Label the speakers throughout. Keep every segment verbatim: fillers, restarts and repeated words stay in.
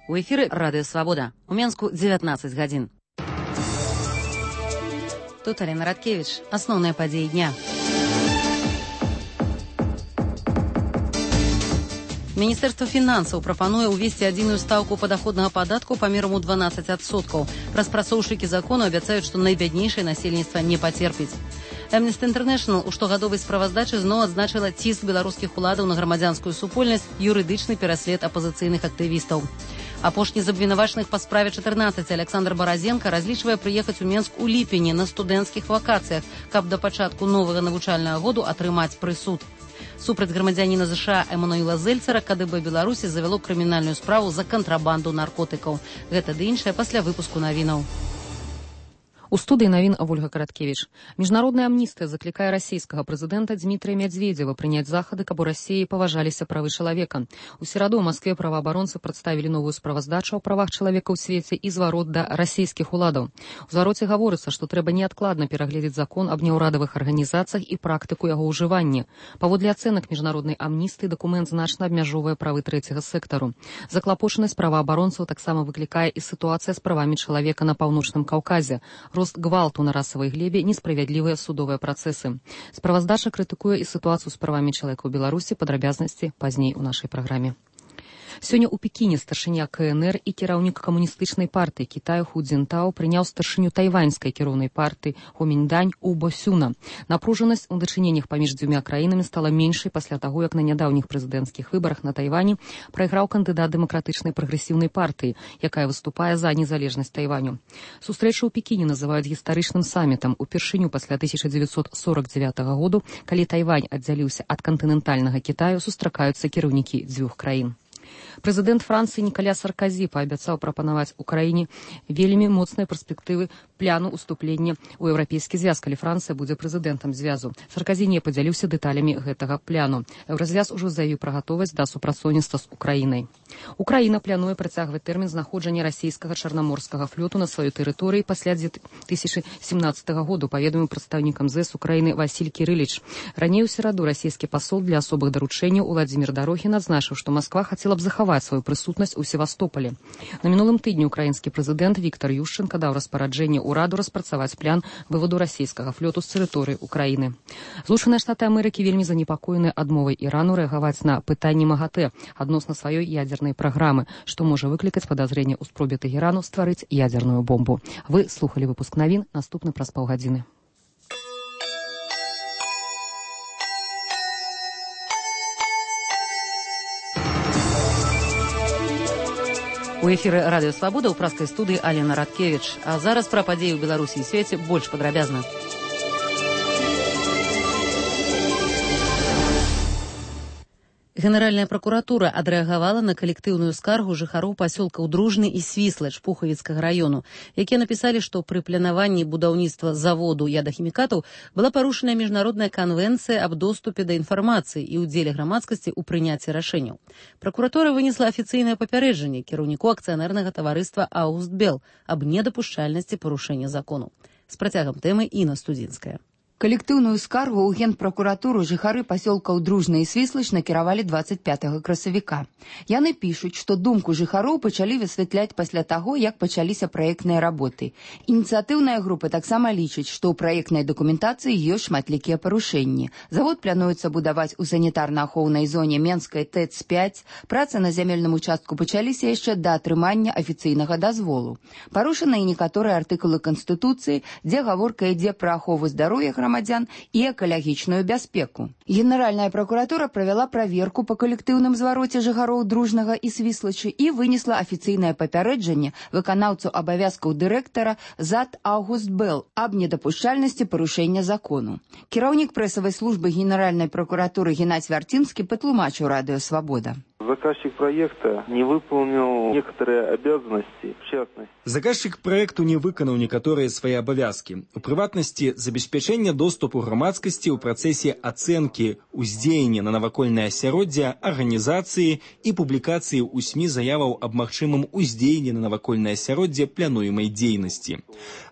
Speaker 1: У эфіры Радыё Свабода. У Менску дзевятнаццаць гадзін. Тут Алена Радкевич. Асноўныя падзеі дня. Міністэрства фінансаў прапануе ўвесці адзіную стаўку падаходнага падатку памерам у дванаццаць адсоткаў. Распрацоўшчыкі закону абяцаюць, што найбяднейшае насельніцтва не пацерпіць. Amnesty International у штогадовай справаздачы зноў адзначыла ціск беларускіх уладаў на грамадзянскую супольнасць, юрыдычны пераслед апазіцыйных актывістаў. Апошні з абвінавачаных па справе чатырнаццаць Александр Баразенко разлічвае прыехаць у Менск у ліпені на студэнцкіх вакацыях, каб да пачатку новага навучальнага году атрымаць прысуд. Супраць грамадзяніна ЗША Эммануэла Зельцера КДБ Беларусі завяло крымінальную справу за кантрабанду наркотыкаў. Гэта ды іншае пасля выпуску навінаў. У студыі навін Ольга Караткевич. Міжнародная амністыя заклікае расійскага прэзідэнта Дмітрия Медведева прыняць захады, каб у Расіі паважаліся правы чалавека. У сераду ў Маскве праваабаронцы прадставілі новую справаздачу о правах чалавека ў свеце і зварот да расійскіх уладаў. У звароце гаворыцца, што трэба неадкладна перагледзець закон аб няўрадавых арганізацыях і практыку яго ўжывання. Паводле ацэнак міжнароднай амністыі дакумент значна абмяжоўвае правы трэцяга сектару. Заклапочанасць праваабаронцаў таксама выклікае і сітуацыя з правамі чалавека на паўночным Каўказе. Рост гвалту на расавай глебе, несправядлівыя судовыя працэсы. Справаздача крытыкуе і сітуацыю з правамі чалавека ў Беларусі, падрабязнасці пазней у нашай праграме. Сёння ў Пекіне старшыня КНР і кіраўнік камуністычнай партыі Кітаю Ху Цзінтао прыняў старшыню тайваньскай кіроўнай партыі Гоміньдань У Босюна. Напружанасць у дачыненнях паміж дзвюма краінамі стала меншай пасля таго, як на нядаўніх прэзідэнцкіх выбарах на Тайвані прайграў кандыдат дэмакратычнай прагрэсіўнай партыі, якая выступае за незалежнасць Тайваню. Сустрэчу ў Пекіне называюць гістарычным самітам упершыню пасля тысяча дзевяцьсот сорок дзевятага году, калі Тайвань аддзяліўся ад кантынентальнага Кітаю, сустракаюцца кіраўнікі дзвюх краін. Прэзідэнт Францыі Нікаля Сарказі паабяцаў прапанаваць Украіне вельмі моцныя перспектывы пляну ўступлення ў еўрапейскі звяз, калі Францыя будзе прэзідэнтам звязу. Сарказі не падзяліўся дэталямі гэтага пляну. Еўразвяз ужо заявіў пра гатовасць да супрацоўніцтва з Украінай. Украіна плануе працягваць тэрмін знаходжання расійскага чарнаморскага флоту на сваёй тэрыторыі пасля дзве тысячы сямнаццатага году, паведаміў прадстаўнікам ЗЭС Украіны Васіль Кірыліч. Раней у сераду расійскі пасол для асобых даручэнняў Уладзімір Дарохін адзначыў, што Масква хацела б захаваць сваю прысутнасць у Севастополі. На мінулым тыдні украінскі прэзідэнт Віктар Юшчэнка даў распараджэнне ўраду распрацаваць план вываду расійскага флоту з тэрыторыі Украіны. Злучаныя Штаты Амерыкі вельмі занепакоеныя адмовай Ірану рэагаваць на пытанні МАГАТЭ адносна сваёй ядзернай праграмы, што можа выклікаць падазрэнне ў спробе Тэгерану стварыць ядзерную бомбу. Вы слухалі выпуск навін, наступны праз паўгадзіны. У эфіры Радыё Свабода ў праскай студыі Алена Радкевич. А зараз пра падзеі ў Беларусі і свеце больш падрабязна. Генеральная прокуратура адрэагавала на калектыўную скаргу жыхароў пасёлкаў Дружны і Свіслач Пухавіцкага раёну, якія напісалі, што пры планаванні будаўніцтва заводу ядахімікатаў была парушаная міжнародная канвенцыя аб доступе да інфармацыі і ўдзеле грамадскасці ў прыняцці рашэнняў. Пракуратура вынесла афіцыйнае папярэджанне кіраўніку акцыянернага таварыства «Аустбел» аб недапушчальнасці парушэння закону. З працягам тэмы Інна Студзінская.
Speaker 2: Калектыўную скаргу ў генпракуратуру жыхары пасёлкаў Дружны і Свіслач накіравалі дваццаць пятага красавіка. Яны пішуць, што думку жыхароў пачалі высвятляць пасля таго, як пачаліся праектныя работы. Ініцыятыўная група таксама лічыць, што ў праектнай дакументацыі ёсць шматлікія парушэнні. Завод плануецца будаваць у санітарна-ахоўнай зоне Менскай ТЭЦ пяць. Працы на зямельным участку пачаліся яшчэ да атрымання афіцыйнага дазволу. Парушаны і некаторыя артыкулы Канстытуцыі, дзе гаворка ідзе пра ахову здароўя грамадзян грамадзян і экалагічную бяспеку. Генеральная прокуратура правяла праверку па калектыўным звароце жыхароў Дружнага і Свіслачы і вынесла афіцыйнае папярэджанне выканаўцу абавязкаў дырэктара ЗАД «Аустбел» аб недапушчальнасці парушэння закону. Кіраўнік прэсавай службы Генеральной прокуратуры Геннадзь Вярцінскі патлумачыў Радыё Свабода.
Speaker 3: Заказчик проекта не выполнил некоторые обязанности, в частности.
Speaker 4: Заказчик проекту не выканаў некаторыя свае абавязкі. У прыватнасці, забеспячэння доступу грамадскасці ў працэсе ацэнкі ўздзеяння на навакольнае асяроддзе, арганізацыі і публікацыі ў СМІ заяваў аб магчымым уздзеянні на навакольнае асяроддзе плануемай дзейнасці.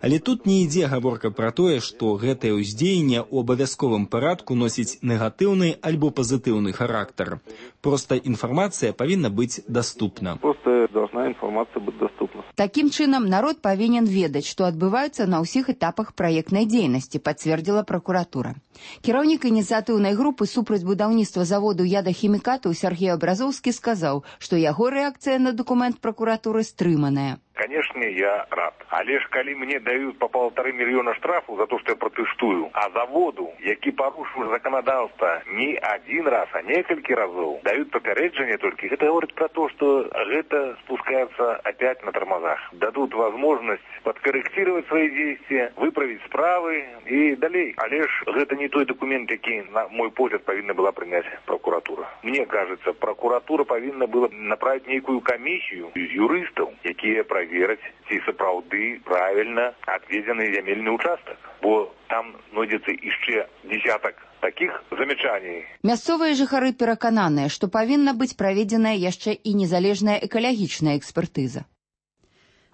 Speaker 4: Але тут не ідзе гаворка пра тое, што гэтае ўздзеянне ў абавязковым парадку носіць негатыўны альбо пазітыўны характар. Проста інфармацыя павінна быць даступна.
Speaker 3: Просто должна информация быть доступна.
Speaker 2: Таким чынам, народ павінен ведаць, што адбываюцца на ўсіх этапах праектнай дзейнасці, пацвердзіла пракуратура. Кіраўнік ініцыятыўнай групы супраць будаўніцтва заводу ядахімікатаў Сергей Абразоўскі сказаў, што яго рэакцыя на дакумент пракуратуры стрыманая.
Speaker 5: Конечно, я рад. Але ж калі мне дают по полторы миллиона штрафу за то, что я протестую, а заводу, які порушил законодавство не один раз, а несколько разов, дают попереджение только, это говорит про то, что это спускается опять на тормозах. Дадут возможность подкорректировать свои действия, выправить справы и далее. Але ж это не той документ, який, на мой погляд, повинна была принять прокуратура. Мне кажется, прокуратура повинна была направить некую комиссию из юристов, якія проверять, ці сапраўды правильно отведены земельный участок. Бо там знойдется еще десяток таких замечаний.
Speaker 2: Мясцовыя жыхары перакананыя, што павінна быць праведзеная яшчэ і незалежная экалагічная экспертыза.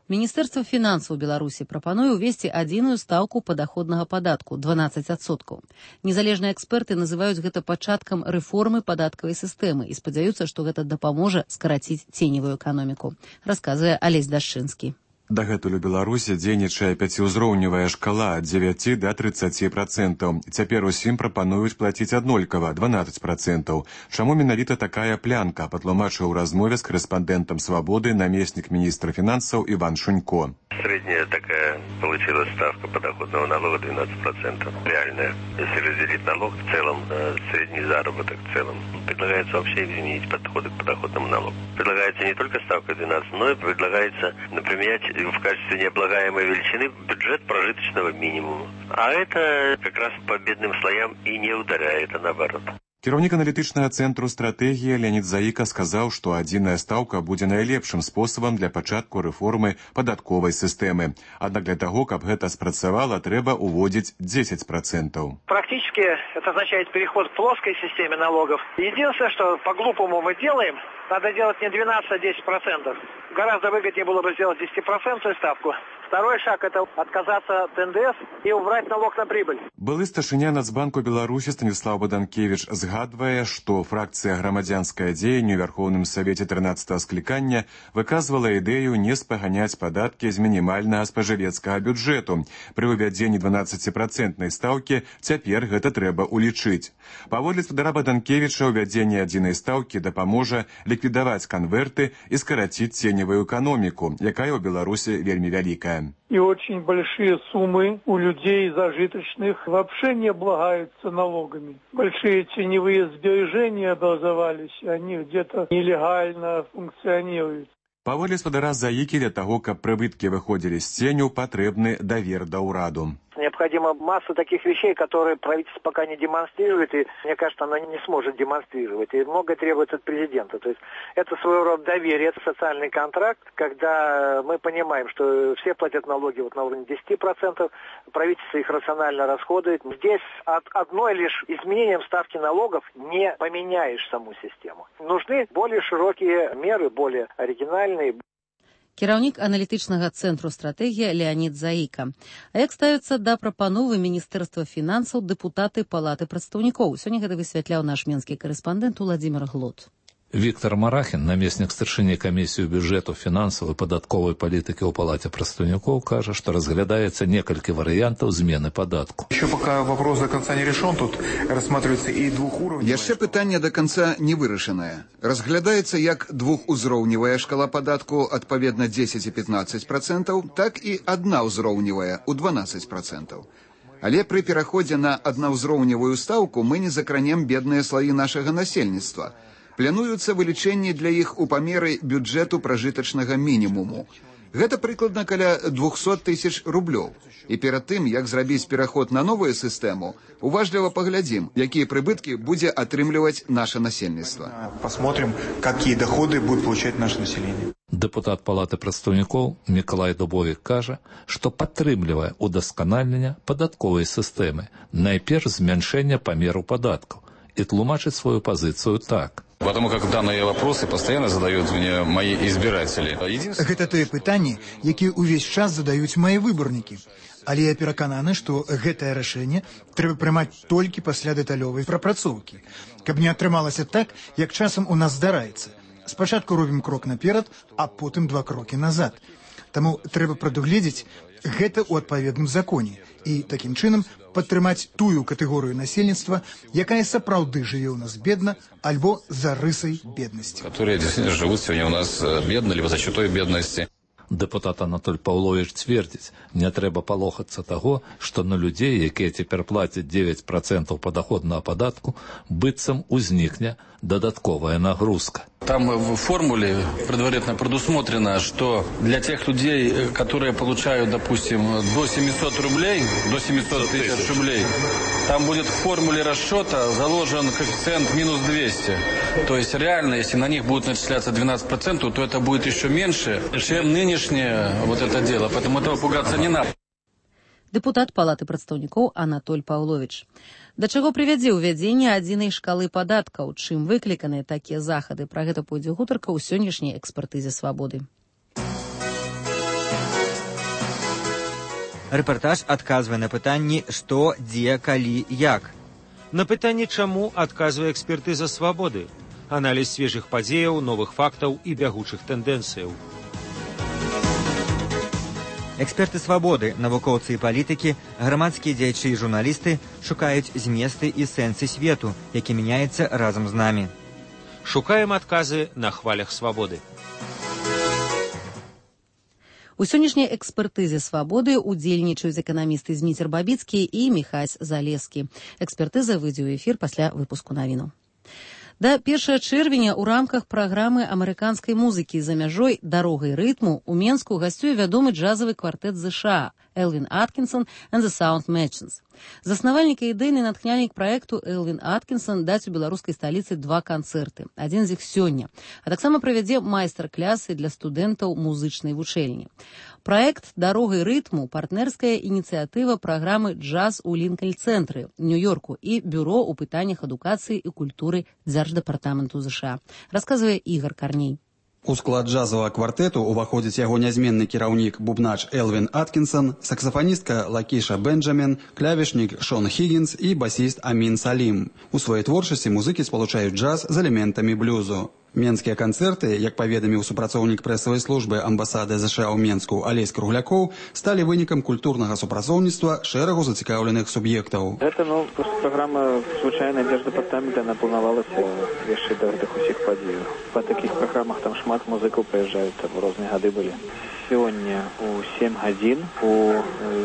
Speaker 1: Міністэрства фінансаў Беларусі прапануе ўвесці адзіную стаўку падаходнага падатку – дванаццаць адсоткаў. Незалежныя эксперты называюць гэта пачаткам рэформы падаткавай сістэмы і спадзяюцца, што гэта дапаможа скараціць ценевую эканоміку, расказвае Алесь Дашчынскі.
Speaker 6: Дагэтуль у Беларусі дзейнічае пяціўзроўневая шкала ад дзевяці да трыццаці працэнтаў. Цяпер усім прапануюць плаціць аднолькава дванаццаць працэнтаў. Чаму менавіта такая плянка, патлумачыў у размове з корэспандэнтам «Свабоды» намеснік міністра фінансаў Иван Шунько.
Speaker 7: Средняя такая получилась ставка подоходного налога двенадцать процентов. Реальная. Если разделить налог в целом, средний заработок в целом, предлагается вообще изменить подходы к подоходному налогу. Предлагается не только ставка двенадцать, но и предлагается применять в качестве необлагаемой величины бюджет прожиточного минимума. А это как раз по бедным слоям и не ударяет, а наоборот.
Speaker 6: Кіраўнік аналітычнага цэнтру стратэгія Леонид Заіка сказаў, што адзіная стаўка будзе найлепшым спосабам для пачатку рэформы падатковай сістэмы. Аднак для таго, каб гэта спрацавала, трэба уводзіць дзесяць працэнтаў.
Speaker 8: Практически это означает переход к плоской системе налогов. Единственное, что по-глупому мы делаем, надо делать не двенадцать, а десять процентов. Гораздо выгоднее было бы сделать десятипроцентную ставку. Второй шаг – это отказаться от эн дэ эс и убрать налог на прибыль.
Speaker 6: Былы старшыня Нацбанку Беларусі Станіслав Баданкевіч згадвае, што фракцыя «Грамадзянскае дзеянне» ў Верховным Савеце трынаццатага склікання выказвала ідэю не спаганяць падаткі з мінімальнага спажывецкага бюджэту. Пры ўвядзенні дванаццаціпроцэнтнай стаўкі цяпер гэта трэба улічыць. Паводле спадара Баданкевіча, ўвядзенне адзінай стаўкі дапаможа ліквідаваць канверты і скараціць ценевую эканоміку, якая ў Беларусі вельмі вялікая.
Speaker 9: И очень большие суммы у людей зажиточных вообще не облагаются налогами. Большие теневые сбережения образовались, они где-то нелегально функционируют.
Speaker 6: Паводле спадара Заікі, для таго, каб прыбыткі выходзілі з ценю, патрэбны давер да ўраду.
Speaker 8: Необходима масса таких вещей, которые правительство пока не демонстрирует, и, мне кажется, оно не сможет демонстрировать. И многое требуется от президента. То есть это своего рода доверие, это социальный контракт, когда мы понимаем, что все платят налоги вот на уровне десяти процентов, правительство их рационально расходует. Здесь от одной лишь изменением ставки налогов не поменяешь саму систему. Нужны более широкие меры, более оригинальные.
Speaker 1: Кіраўнік аналітычнага цэнтру стратэгія Леонид Заіка. А як ставіцца да прапановы Міністэрства фінансаў дэпутаты Палаты прадстаўнікоў? Сёння гэта высвятляў наш менскі карэспандэнт Уладзімир Глот.
Speaker 10: Віктор Марахін, намеснік старшыні камісію бюджэту, фінансаў і падатковай палітыкі ў Палаце прадстаўнікоў, кажа, што разглядаецца некалькі варыянтаў змены падатку.
Speaker 11: Еще пока вопрос до конца не решен, тут рассматривается и двухуровневая.
Speaker 12: Яшчэ пытанне до конца не вырашанае. Разглядаецца як двухузроўневая шкала падатку адпаведна дзесяць і пятнаццаць працэнтаў, так і аднаўзроўневая у дванаццаць працэнтаў. Але пры пераходзе на аднаўзроўневую стаўку мы не закранем бедныя слаі нашага насельніцтва. Плануюцца вылічэнні для іх у памеры бюджэту пражытачнага мінімуму. Гэта прыкладна каля двухсот тысяч рублёў. І перад тым, як зрабіць пераход на новую сістэму, уважліва паглядзім, якія прыбыткі будзе атрымліваць наша насельніцтва.
Speaker 11: Посмотрим, какие доходы будет получать наше население.
Speaker 10: Дэпутат Палаты прадстаўнікоў Мікалай Дубовік кажа, што падтрымлівае удасканальнення падатковай сістэмы, найперш змяншэння памеру падаткаў, і тлумачыць сваю пазіцыю так.
Speaker 13: Потому как данные вопросы постоянно задают мне мои избиратели.
Speaker 14: Гэта тое пытанне, якія ўвесь час задаюць мои выбарнікі. Але я перакананы, што гэтае рашэнне трэба прымаць толькі пасля дэталёвай прапрацоўкі. Каб не атрымалася так, як часам у нас здараецца. спачатку робім крок наперад, а потым два крокі назад. Таму трэба прадугледзець гэта ў адпаведным законе і такім чынам падтрымаць тую катэгорыю насельніцтва, якая сапраўды жыве ў нас бедна альбо за рысай беднасці.
Speaker 13: Которые действительно живут сегодня у нас бедно, либо за счет той бедности.
Speaker 10: Дэпутат Анатоль Паўловіч цвердзіць, не трэба палохацца таго, што на людзей, якія цяпер плацяць девять процентов падаходнага падатку, быццам узнікне дадатковая нагрузка.
Speaker 13: Там в формуле предварительно предусмотрено, что для тех людей, которые получают, допустим, до семисот рублей, до семисот тысяч рублей, там будет в формуле расчета заложен коэффициент минус двести. То есть реально, если на них будет начисляться двенадцать процентов, то это будет еще меньше, чем нынешнее вот это дело. Поэтому этого пугаться не надо.
Speaker 1: Дэпутат Палаты прадстаўнікоў Анатоль Паўловіч. Да чаго прывядзе ўвядзенне адзінай шкалы падаткаў, чым выкліканыя такія захады? Пра гэта пойдзе гутарка ў сённяшняй экспертызе «Свабоды».
Speaker 15: Рэпартаж адказвае на пытанні «што, дзе, калі, як».
Speaker 16: На пытанне «чаму» адказвае экспертыза «Свабоды». Аналіз свежых падзеяў, новых фактаў і бягучых тэндэнцыяў.
Speaker 15: Эксперты «Свабоды», навукоўцы і палітыкі, грамадскія дзеячы і журналісты шукаюць зместы і сэнсы свету, які мяняецца разам з намі.
Speaker 16: Шукаем адказы на хвалях «Свабоды».
Speaker 1: У сённяшняй экспертызе «Свабоды» удзельнічаюць эканамісты Зміцер Бабіцкі і Міхась Залескі. Экспертыза выйдзе ў эфір пасля выпуску навінаў. Да першага чэрвеня ў рамках праграмы амерыканскай музыкі за мяжой «Дарогай рытму» у Менску гасцюе вядомы джазавы квартэт ЗША Элвин Аткінсон and the Sound Machines. Заснавальнік і ідэйны натхняльнік праекту Элвин Аткінсон даць у беларускай сталіцы два канцэрты. Адзін з іх сёння. А таксама правядзе майстар-клясы для студэнтаў музычнай вучэльні. Праект «Дарогай рытму» – партнерская ініцыятыва праграмы «Джаз» у Лінкольн-цэнтры, Нью-Йорку і бюро ў пытаннях адукацыі і культуры Дзярждэпартаменту ЗША. Расказвае Ігор Карней.
Speaker 17: У склад джазового квартету уваходзіць яго нязменны кіраўнік бубнач Элвин Аткінсон, саксафаністка Лакіша Бенджамін, клавішнік Шон Хіггінс і басіст Амін Салім. У сваёй творчасці музыкі спалучаюць джаз з элементамі блюзу. Менскія канцэрты, як паведаміў супрацоўнік прэсавай службы амбасады ЗША ў Менску Алесь Круглякоў, сталі вынікам культурнага супрацоўніцтва шэрагу зацікаўленых суб'ектаў.
Speaker 3: Гэта, ну, праграма звычайна Дзярждэпартамента напланавалася яшчэ да гэтых усіх падзеяў. Па такіх праграмах там шмат музыкаў прыязджаюць, там розныя гады былі. Сёння у сем гадзін у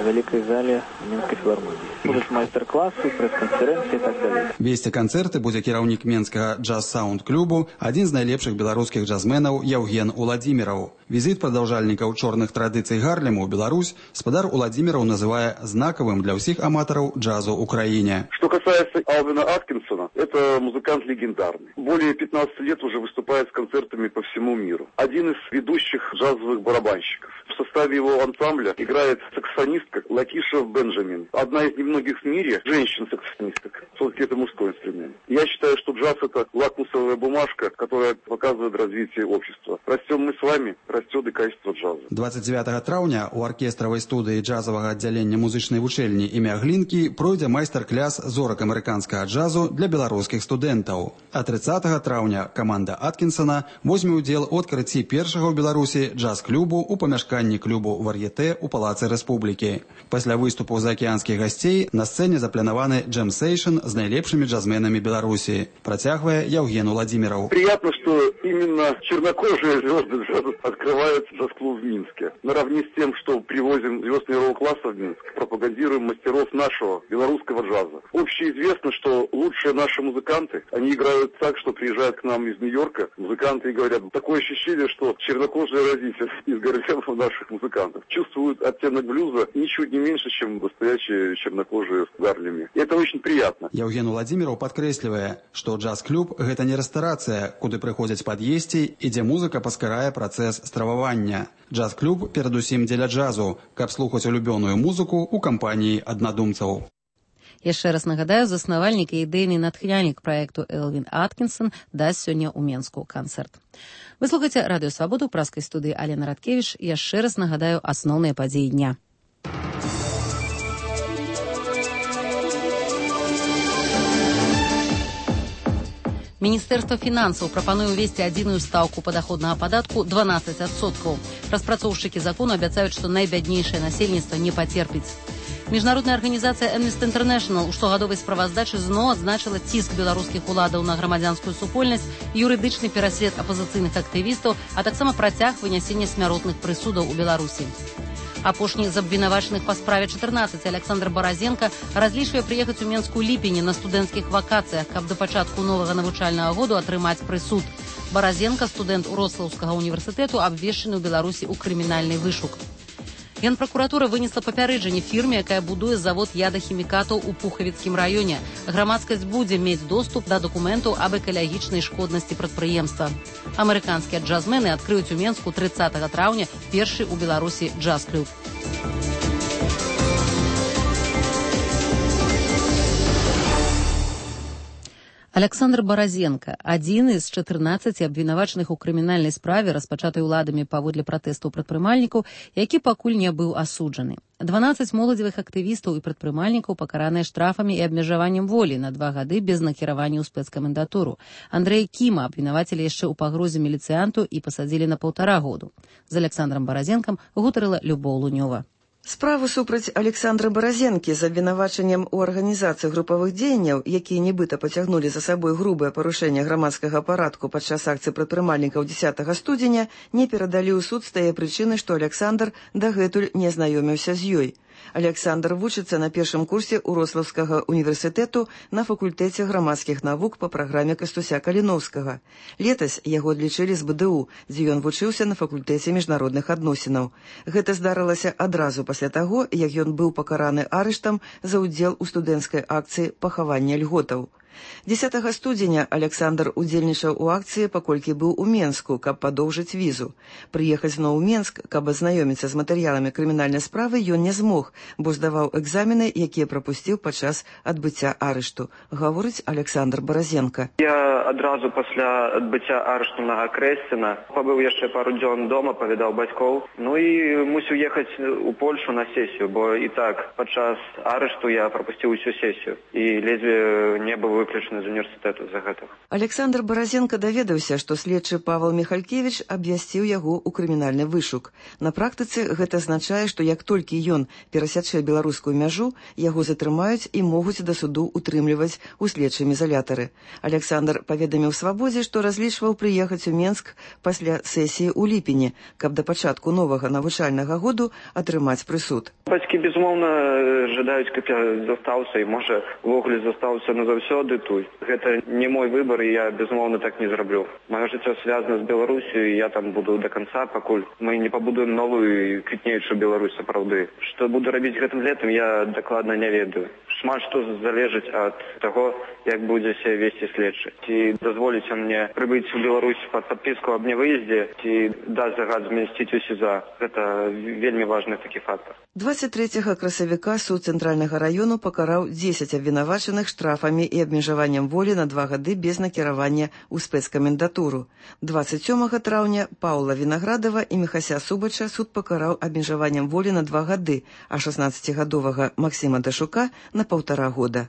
Speaker 3: вялікай зале Менскай філармоніі. Будуць майстар-класы, прэс-канферэнцыі і так далей.
Speaker 17: Весці канцэрты будзе кіраўнік Менскага джаз-саунд-клубу, адзін з найлепшых беларускіх джазменаў Яўген Уладзіміраў. Візіт прадаўжальнікаў чорных традыцый Гарлему ў Беларусь спадар Уладзіміраў называе знакавым для ўсіх аматараў джазу ў краіне.
Speaker 18: Что касается Элвина Аткинсона, это музыкант легендарный. Более пятнадцати лет уже выступает с концертами по всему миру. Один из ведущих джазовых барабанщиков. В составе его ансамбля играет саксофонистка Лакиша Бенджамин. Одна из немногих в мире женщин-саксофонисток. Все-таки это мужской инструмент. Я считаю, что джаз – это лакмусовая бумажка, которая показывает развитие общества. Растем мы с вами, растет и качество джаза.
Speaker 17: двадцать девятого траўня у аркестравай студыі джазавага аддзялення музычнай вучэльні імя Глінкі пройдзе майстар-кляс зорак амерыканскага джазу для беларускіх студэнтаў. А трыццатага траўня каманда Аткінсона возьме ўдзел у адкрыцці першага ў Беларусі джаз-клубу у памяшканні клубу «Вар'етэ» у Палацы Рэспублікі. Пасля выступу заакеанскіх гасцей на сцэне запланаваны джэм-сейшн з найлепшымі джазменамі Беларусі. Працягвае Яўген Уладзіміраў.
Speaker 18: Приятно, что именно чернокожие звезды джаза открывают джаз-клуб в Минске. Наравне с тем, что привозим звезд мирового класса в Минск, пропагандируем мастеров нашего белорусского джаза. Общеизвестно, что лучшие наши музыканты, они играют так, что приезжают к нам из Нью-Йорка музыканты и говорят, такое ощущение, что чернокожие родители из городов наших музыкантов чувствуют оттенок блюза ничуть не меньше, чем настоящие чернокожие в Гарлеме. И это очень приятно.
Speaker 17: Яўген Уладзіміраў падкрэслівае, што джаз-клуб – гэта не рэстарацыя, куды прыходзяць пад'есці і дзе музыка паскарае працэс стрававання. Джаз-клуб перадусім дзеля джазу, каб слухаць улюбёную музыку ў кампаніі аднадумцаў.
Speaker 1: Яшчэ раз нагадаю, заснавальнік і ідэйны натхняльнік праекту Элвин Аткінсон дасць сёння ў Менску канцэрт. Вы слухаеце радыё «Свабоду» ў праскай студыі Алена Радкевіч. Яшчэ раз нагадаю асноўныя падзеі дня. Міністэрства фінансаў прапануе ўвесці адзіную стаўку падаходнага падатку дванаццаць адсоткаў. Распрацоўшчыкі закону абяцаюць, што найбяднейшае насельніцтва не пацерпіць. Міжнародная арганізацыя Amnesty International у штогадовай справаздачы зноў адзначыла ціск беларускіх уладаў на грамадзянскую супольнасць, юрыдычны пераслед апазіцыйных актывістаў, а таксама працяг вынясення смяротных прысудаў у Беларусі. Апошні з абвінавачаных па справе чатырнаццаць Александр Баразенка разлічвае прыехаць у Менск у ліпені на студэнцкіх вакацыях, каб да пачатку новага навучальнага году атрымаць прысуд. Баразенка, студэнт Уроцлаўскага універсітэту, абвешчаны ў Беларусі ў крымінальны вышук. Генпракуратура вынесла папярэджанне фірме, якая будуе завод ядахімікатаў у Пухавіцкім раёне. Грамадскасць будзе мець доступ да дакументаў аб экалагічнай шкоднасці прадпрыемства. Амерыканскія джазмены адкрыюць у Менску трыццатага траўня першы ў Беларусі джаз-клуб. Александр Баразенка, адзіны з чатырнаццаці абвінавачаных у крымінальнай справе, распачатай уладамі паводле пратэстаў прадпрымальнікаў, які пакуль не быў асуджаны. дванаццаць моладзевых актывістаў і прадпрымальнікаў пакараныя штрафамі і абмежаваннем волі на два гады без накіравання ў спецкамендатуру. Андрэя Кіма абвінавацілі яшчэ ў пагрозе міліцыянту і пасадзілі на паўтара году. З Александром Баразенкам гутарыла Любоў Лунёва.
Speaker 19: Справу супраць Александра Баразенкі з абвінавачаннем у арганізацыі групавых дзеянняў, якія нібыта пацягнулі за сабой грубае парушэнне грамадскага парадку падчас акцыі прадпрымальнікаў дзесятага студзеня, не перадалі ў суд з тае прычыны, што Александр дагэтуль не знаёміўся з ёй. Александр вучыцца на першым курсе Уроцлаўскага універсітэту на факультэце грамадскіх навук па праграме Кастуся Каліноўскага. Летась яго адлічылі з БДУ, дзе ён вучыўся на факультэце міжнародных адносінаў. Гэта здарылася адразу пасля таго, як ён быў пакараны арыштам за ўдзел у студэнцкай акцыі пахавання льготаў. дзесятага студзеня Александр удзельнічаў у акцыі, паколькі быў у Менску, каб падоўжыць візу. Прыехаць зноў у Менск, каб азнаёміцца з матэрыяламі крымінальнай справы, ён не змог, бо здаваў экзамены, якія прапусціў падчас адбыцця арышту, гаворыць Александр Баразенка.
Speaker 20: Я адразу пасля адбыцця арышту на Крэсціна пабыў яшчэ пару дзён дома, павідаў бацькоў, ну і мусіў ехаць у Польшу на сесію, бо і так падчас арышту я прапусціў усю сесію і ледзьве не быў выключаны з універсітэту за гэта.
Speaker 19: Александр Баразенка даведаўся, што следчы Павел Михалькевич абвясціў яго ў крымінальны вышук. На практыцы гэта азначае, што як толькі ён перасячэ беларускую мяжу, яго затрымаюць і могуць да суду утрымліваць у следчым изолятары. Александр паведаміў Свабодзе, што разлічваў прыехаць у Менск пасля сесіі ў ліпені, каб да пачатку новага навучальнага году атрымаць прысуд.
Speaker 20: Бацькі, безумоўна, жадаюць, каб я застаўся і, можа, увогуле застаўся назаўсёды тут. Гэта не мой выбор, і я, безумоўна, так не зраблю. Маё жыццё звязана з Беларусью, і я там буду до конца, пакуль мы не пабудуем новую квітнеючую Беларусь сапраўды. Што буду рабіць гэтым летам, я дакладна не ведаю. Шмат што залежыць ад таго, як будзе сябе весці следчы. Ці дазволіць мне прыбыць у Беларусь пад падпіску аб невыездзе, ці даць загад змясціць у СІЗА. Гэта вельмі важны такі фактор.
Speaker 19: двадцять трэцяга красавіка суд цэнтральнага раёну пакараў дзесяць абвінавачаных штрафамі і абмежаваннем волі на два гады без накіравання ў спецкамендатуру. двадцять сёмага траўня Паўла Вінаградава і Міхася Субача суд пакараў абмежаваннем волі на два гады, а шаснаццацігадовага Максіма Дашука на паўтара года.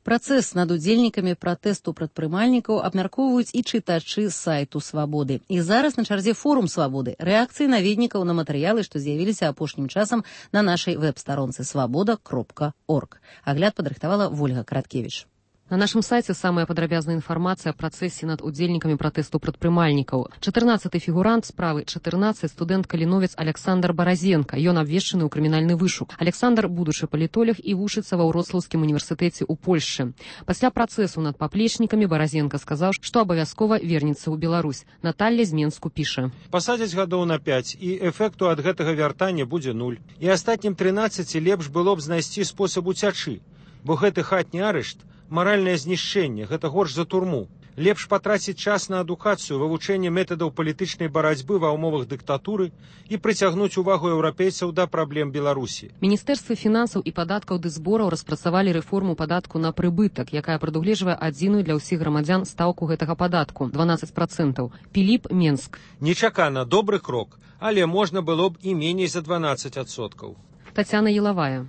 Speaker 1: Працэс над удзельнікамі пратэсту прадпрымальнікаў абмяркоўваюць і чытачы сайту Свабоды. І зараз на чарзе форум Свабоды, рэакцыі наведнікаў на матэрыялы, што з'явіліся апошнім часам на нашай вэб-старонцы свабода кропка орг. Агляд падрыхтавала Вольга Караткевіч.
Speaker 21: На нашым сайце самая падрабязная інфармацыя о працэсе над удзельнікамі пратэсту прадпрымальнікаў. чатырнаццаты фігурант справы чатырнаццаць студэнт каліновец Александр Баразенка. Ён абвешчаны ў крымінальны вышук. Александр будучы палітолог і вучыцца ва Ўроцлаўскім універсітэце ў Польшчы. Пасля працэсу над паплечнікамі Баразенка сказаў, што абавязкова вернецца ў Беларусь. Наталья з Менску піша.
Speaker 16: Пасадзяць гадоў на пяць, і эфекту ад гэтага вяртання будзе нуль. І астатнім трынаццаці лепш было б знайсці спосаб уцячы, бо гэты хатні арышт маральнае знішчэнне, гэта горш за турму. Лепш патраціць час на адукацыю, вывучэнне метадаў палітычнай барацьбы ва ўмовах дыктатуры і прыцягнуць увагу еўрапейцаў да праблем Беларусі.
Speaker 21: Міністэрствы фінансаў і падаткаў ды збораў распрацавалі рэформу падатку на прыбытак, якая прадугледжвае адзіную для ўсіх грамадзян стаўку гэтага падатку дванаццаць працэнтаў. Піліп, Менск.
Speaker 16: Нечакана, добры крок, але можна было б і меней за дванаццаць адсоткаў.
Speaker 21: Тацяна Елавая.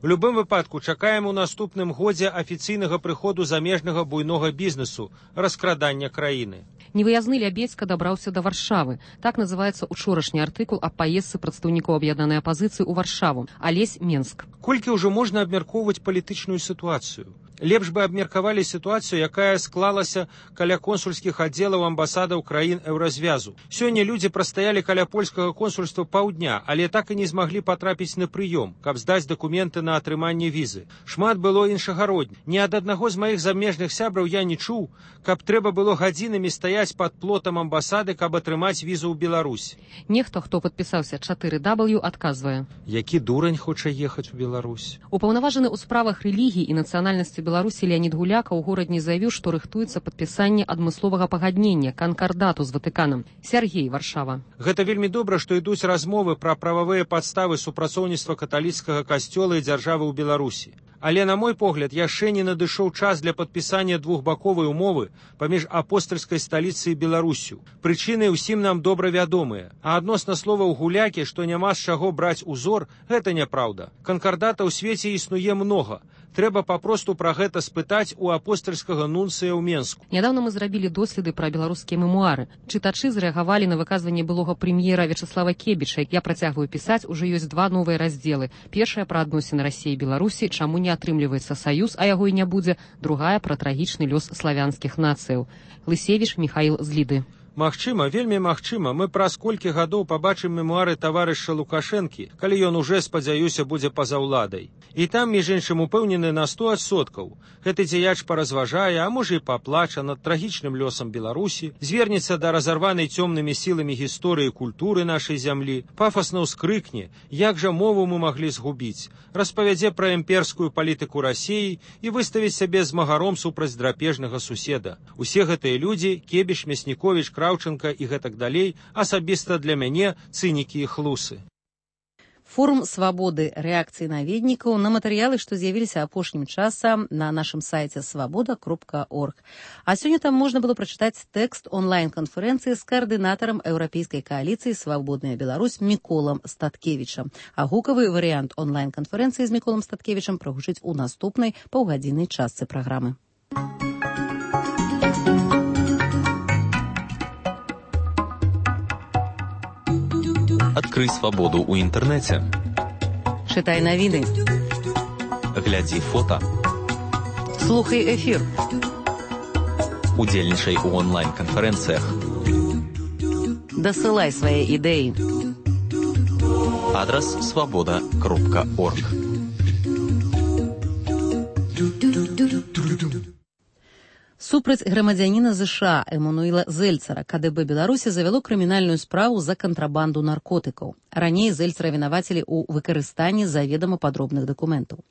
Speaker 16: У любым выпадку чакаем у наступным годзе афіцыйнага прыходу замежнага буйнога бізнесу, раскрадання краіны.
Speaker 21: Невыязны Лябедзька дабраўся да Варшавы. Так называецца учорашні артыкул аб паездцы прадстаўнікоў аб'яднанай апазіцыі ў Варшаву. Алесь Менск.
Speaker 16: Колькі ўжо можна абмяркоўваць палітычную сітуацыю? Лепш бы абмеркавалі сітуацыю, якая склалася каля консульскіх аддзелаў амбасадаў краін еўразвязу. Сёння людзі прастаялі каля польскага консульства паўдня, але так і не змаглі патрапіць на прыём, каб здаць дакументы на атрыманне візы. Шмат было іншагародні. Ні ад аднаго з маіх замежных сябраў я не чуў, каб трэба было гадзінамі стаяць пад плотам амбасады, каб атрымаць візу ў Беларусь.
Speaker 21: Нехта, хто падпісаўся чатыры дабл ю, адказвае.
Speaker 16: Які дурань хоча ехаць у Беларусь?
Speaker 21: Упаўнаважаны ў справах рэлігіі і нацыянальнасці Беларусі Леонид Гуляка ў горадні заявіў, што рыхтуецца падпісанне адмысловага пагаднення, канкардату з Ватыканам. Сергей, Варшава.
Speaker 16: Гэта вельмі добра, што ідуць размовы пра прававыя падставы супрацоўніцтва каталіцкага касцёла і дзяржавы ў Беларусі. Але, на мой погляд, яшчэ не надышоў час для падпісання двухбаковай умовы паміж апостальскай сталіцай і Беларусю. Прычыны ўсім нам добра вядомыя. А адносна словаў Гулякі, што няма з чаго браць узор, гэта няпраўда. Канкардата ў свеце існуе многа. Трэба папросту пра гэта спытаць у апостальскага нунцыя ў Менску.
Speaker 21: Нядаўна мы зрабілі доследы пра беларускія мемуары. Чытачы зрэагавалі на выказванне былога прэм'ера Вячаслава Кебіча. Я працягваю пісаць, ужо ёсць два новыя раздзелы. Першая пра адносіны Расіі і Беларусі, чаму не атрымліваецца саюз, а яго і не будзе. Другая пра трагічны лёс славянскіх нацыяў. Лысевіч Міхаіл з Ліды.
Speaker 16: Магчыма, вельмі магчыма, мы праз колькі гадоў пабачым мемуары таварыша Лукашэнкі, калі ён уже, спадзяюся, будзе па-за ўладай. І там, між іншым, упэўнены на сто адсоткаў. Гэты дзеяч паразважае, а можа і паплача над трагічным лёсам Беларусі, звернецца да разарванай цёмнымі сіламі гісторыі і культуры нашай зямлі, пафасна ўскрыкне, як жа мову мы маглі згубіць, распавядзе пра імперскую палітыку Расіі і выставіць сябе змагаром супраць драпежнага суседа. Усе гэтыя людзі, Кебіш, Мясніковіч, Краўченка і гэтак далей, асабіста для мяне цынікі і хлусы.
Speaker 1: Форум свабоды рэакцыі наведнікаў на матэрыялы, што з'явіліся апошнім часам на нашым сайце свабода кропка орг. А сёння там можна было прачытаць тэкст онлайн-канферэнцыі з каардынатарам еўрапейскай кааліцыі «Свабодная Беларусь» Міколам Статкевічам. А гукавы варыянт онлайн-канферэнцыі з Міколам Статкевічам прагучыць у наступнай паўгадзіннай частцы праграмы.
Speaker 4: Адкрый свабоду ў інтэрнэце.
Speaker 1: Чытай навіны.
Speaker 4: Глядзі фота.
Speaker 1: Слухай эфір.
Speaker 4: Удзельнічай у онлайн-канферэнцыях.
Speaker 1: Дасылай свае ідэі.
Speaker 4: Адрас свабода кропка орг.
Speaker 1: Супраць грамадзяніна ЗША Эммануіла Зельцера ка дэ бэ Беларусі завяло крымінальную справу за кантрабанду наркотыкаў. Раней Зельцера вінавацілі ў выкарыстанні заведама падробных дакументаў.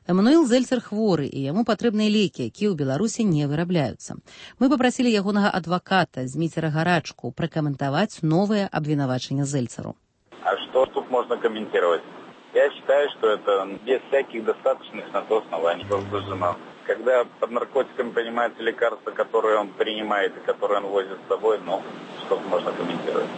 Speaker 1: Эммануіл Зельцер хворы, і яму патрэбныя лекі, якія ў Беларусі не вырабляюцца. Мы папрасілі ягонага адваката Зміцера Гарачку пракаментаваць новое обвинавачение Зельцеру.
Speaker 22: А что тут можно комментировать? Я считаю, что это без всяких достаточных на то оснований возбуждено. Когда под наркотиками понимается лекарство, которое он принимает и которое он возит с собой, ну, что можно комментировать.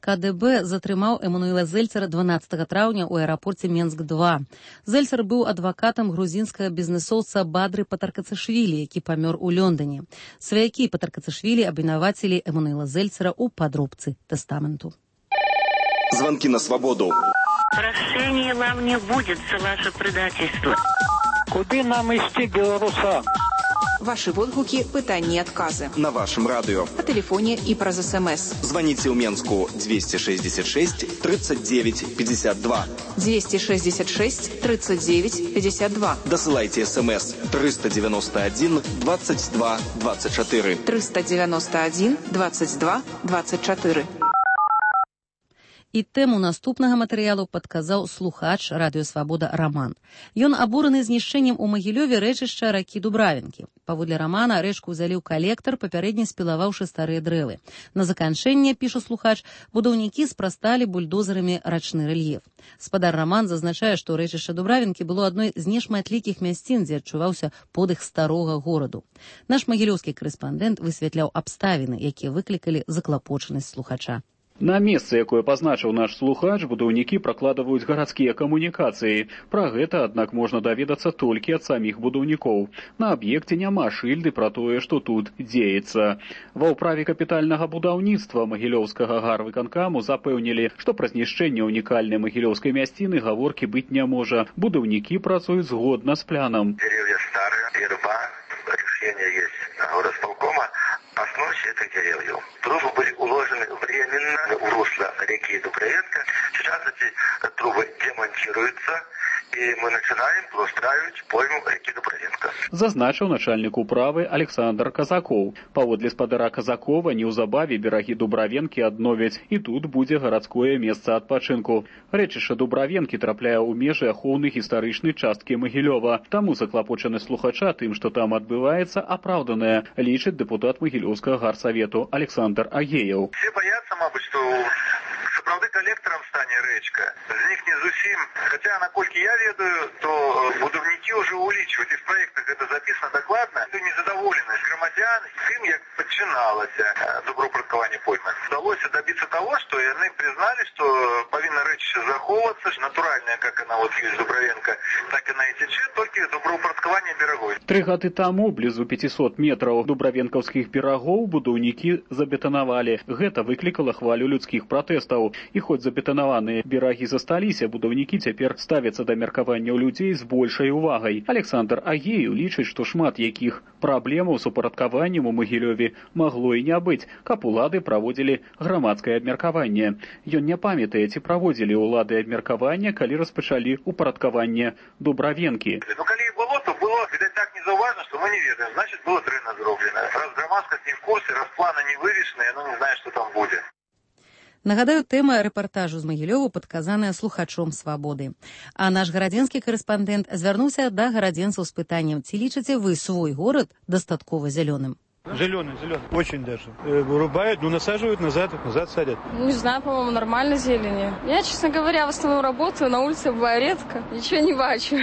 Speaker 1: ка дэ бэ затрымаў Эммануіла Зельцера дванаццатага траўня ў аэрапорце Менск два. Зельцер быў адвакатам грузінскага бізнесоўца Бадры Патаркацышвілі, які памёр у Лондоне. Сваякі Патаркацышвілі абвінавацілі Эммануіла Зельцера ў падробцы тэстаменту.
Speaker 4: Звонки на свободу.
Speaker 23: Прощения вам не будет за ваше предательство.
Speaker 9: Куды нам ісці, беларусам?
Speaker 24: Ваши водгукі, пытанні і адказы.
Speaker 4: На вашем радио.
Speaker 24: По телефоне и праз СМС.
Speaker 4: Звоните в Менску двести шестьдесят шесть тридцать девять пятьдесят два.
Speaker 24: двести шестьдесят шесть тридцать девять пятьдесят два.
Speaker 4: Досылайте СМС триста девяносто один двадцать два двадцать четыре.
Speaker 24: триста девяносто один двадцать два двадцать четыре.
Speaker 1: І тэму наступнага матэрыялу падказаў слухач радыё «Свабода» Раман. Ён абураны знішчэннем у Магілёве рэчышча ракі Дубравінкі. Паводле Рамана рэчку ўзялі ў калектар, папярэдне спілаваўшы старыя дрэвы. На заканчэнне, піша слухач, будаўнікі спрасталі бульдозерамі рачны рэльеф. Спадар Раман зазначае, што рэчышча Дубравінкі было адной з нешматлікіх мясцін, дзе адчуваўся подых старога гораду. Наш магілёўскі корэспандэнт высвятляў абставіны, якія выклікалі заклапочанасць слухача.
Speaker 2: На месцы, якое пазначыў наш слухач, будаўнікі пракладваюць гарадскія камунікацыі. Пра гэта, аднак, можна даведацца толькі ад саміх будаўнікоў. На аб'екце няма шыльды пра тое, што тут дзеецца. Ва ўправе капітальнага будаўніцтва магілёўскага гарвыканкаму запэўнілі, што пра знішчэнне унікальнай магілёўскай мясціны гаворкі быць не можа. Будаўнікі працуюць згодна з планам.
Speaker 5: Деревья старые, верба, решение есть горосполкома. Основе этих деревьев. Трубы были уложены временно в русло реки Дубровенка. Сейчас эти трубы демонтируются, и мы начинаем устраивать пойму реки Дубровенка.
Speaker 2: Зазначыў начальник управы Александр Казаков. Паводле спадара Казакова неўзабаве берагі Дубравенкі адновяць, і тут будзе гарадское месца адпачынку. Рэчышча Дубравенкі трапляе ў межы ахоўнай гістарычнай часткі Магілёва. Таму заклапочаны слухача тым, што там адбываецца, апраўданае, лічыць дэпутат Магілёўскага гарсавету Александр Агеяў.
Speaker 5: Все боятся, мабуть, что сапраўды коллектором стане рэчка. З них не зусім. Хотя, наколькі я ведаю, то будаўнікі ўжо улічваюць, і в проектах это записано докладно. Незадоволенность громадян тым, як пачыналася добраўпарадкаванне поймы. Удалося добиться того, что яны признали, что павінна рэчышча захоўвацца, натуральная, как она вот есть Дубравенка, так она и тече, только добраўпарадкаванне берагой.
Speaker 2: Тры гады таму блізу пятьсот метраў дубравенкаўскіх берагоў будаўнікі забетанавалі. Гэта выклікала хвалю людскіх пратэстаў. І хоць забетанаваныя берагі засталіся, будаўнікі цяпер ставяцца да меркаванняў людзей з большай увагай. Александр Агею лічыць, што шмат якіх праблемаў з упарадкаваннем у Магілёве магло і не быць, каб улады праводзілі грамадскае абмеркаванне. Ён не памятае, ці праводзілі ўлады абмеркаванне, калі распачалі упарадкаванне Дубравенкі.
Speaker 5: Ну, калі і было, то было, відаць, так незаўважна, што мы не ведаем. Значит, было дрэнна зроблена. Раз грамадскасць не в курсе, раз планы не вывешаны, яно не знае, што там будзе.
Speaker 1: Нагадаю, тэма рэпартажу з Магілёву падказаная слухачом «Свабоды». А наш гарадзенскі карэспандэнт звярнуўся да гарадзенцаў з пытаннем, ці лічыце вы свой горад дастаткова зялёным?
Speaker 6: Зеленый, зеленый. Очень даже. Э, вырубают, ну насаживают назад, назад садят.
Speaker 7: Не знаю, по-моему, нормально зелени. Я, честно говоря, в основном работаю, на улице бываю редко, ничего не бачу.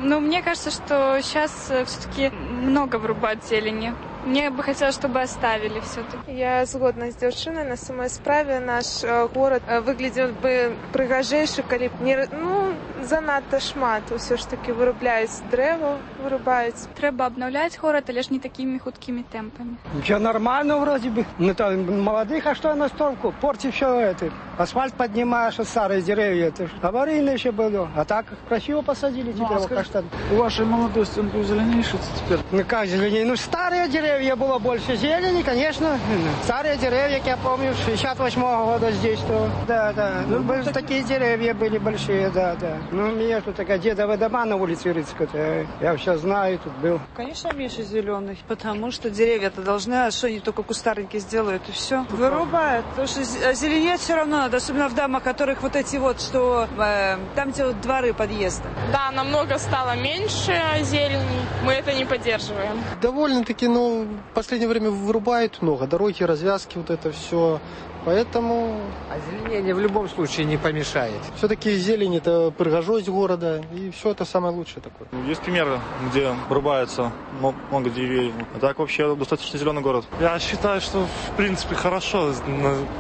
Speaker 25: Ну, мне кажется, что сейчас все-таки много вырубают зелени. Мне бы хотелось, чтобы оставили все-таки.
Speaker 26: Я згодна з дзяўчынай. На самой справе наш э, город э, выглядел бы прыгажэйшы, калі б не, ну, занадта шмат. Усё ж таки вырубляюць дрэва, вырубаюць.
Speaker 25: Трэба обновлять город, але ж не такими худкими темпами.
Speaker 27: Ничего, нормально вроде бы. Ну, там, молодых, а что на столку? Порти все это. Асфальт поднимаешь, старые деревья. Это аварийно еще было. А так красиво посадили теперь. Ну, а скажи,
Speaker 6: у вашей молодости он был зеленейший теперь?
Speaker 27: Ну, как зеленее? Ну, старые деревья. Было больше зелени, конечно. Старые деревья, как я помню, шестьдесят восьмого года здесь, то, да, да. Ну, ну так... такие деревья были большие, да, да. Ну, у меня тут такая дедовая дома на улице Рыцкая, я все знаю, тут был.
Speaker 28: Конечно, меньше зеленых, потому что деревья-то должны, а что они только кустарники сделают, и все. Вырубают, потому что зеленеть все равно надо, особенно в домах, которых вот эти вот, что э, там, где вот дворы подъезда.
Speaker 29: Да, намного стало меньше зелени, мы это не поддерживаем.
Speaker 30: Довольно-таки, ну, в последнее время вырубают много, дороги, развязки, вот это все. Поэтому...
Speaker 31: Озеленение в любом случае не помешает.
Speaker 30: Все-таки зелень – это пригожость города, и все это самое лучшее такое.
Speaker 6: Есть примеры, где вырубается много деревьев. А так вообще достаточно зеленый город.
Speaker 32: Я считаю, что в принципе хорошо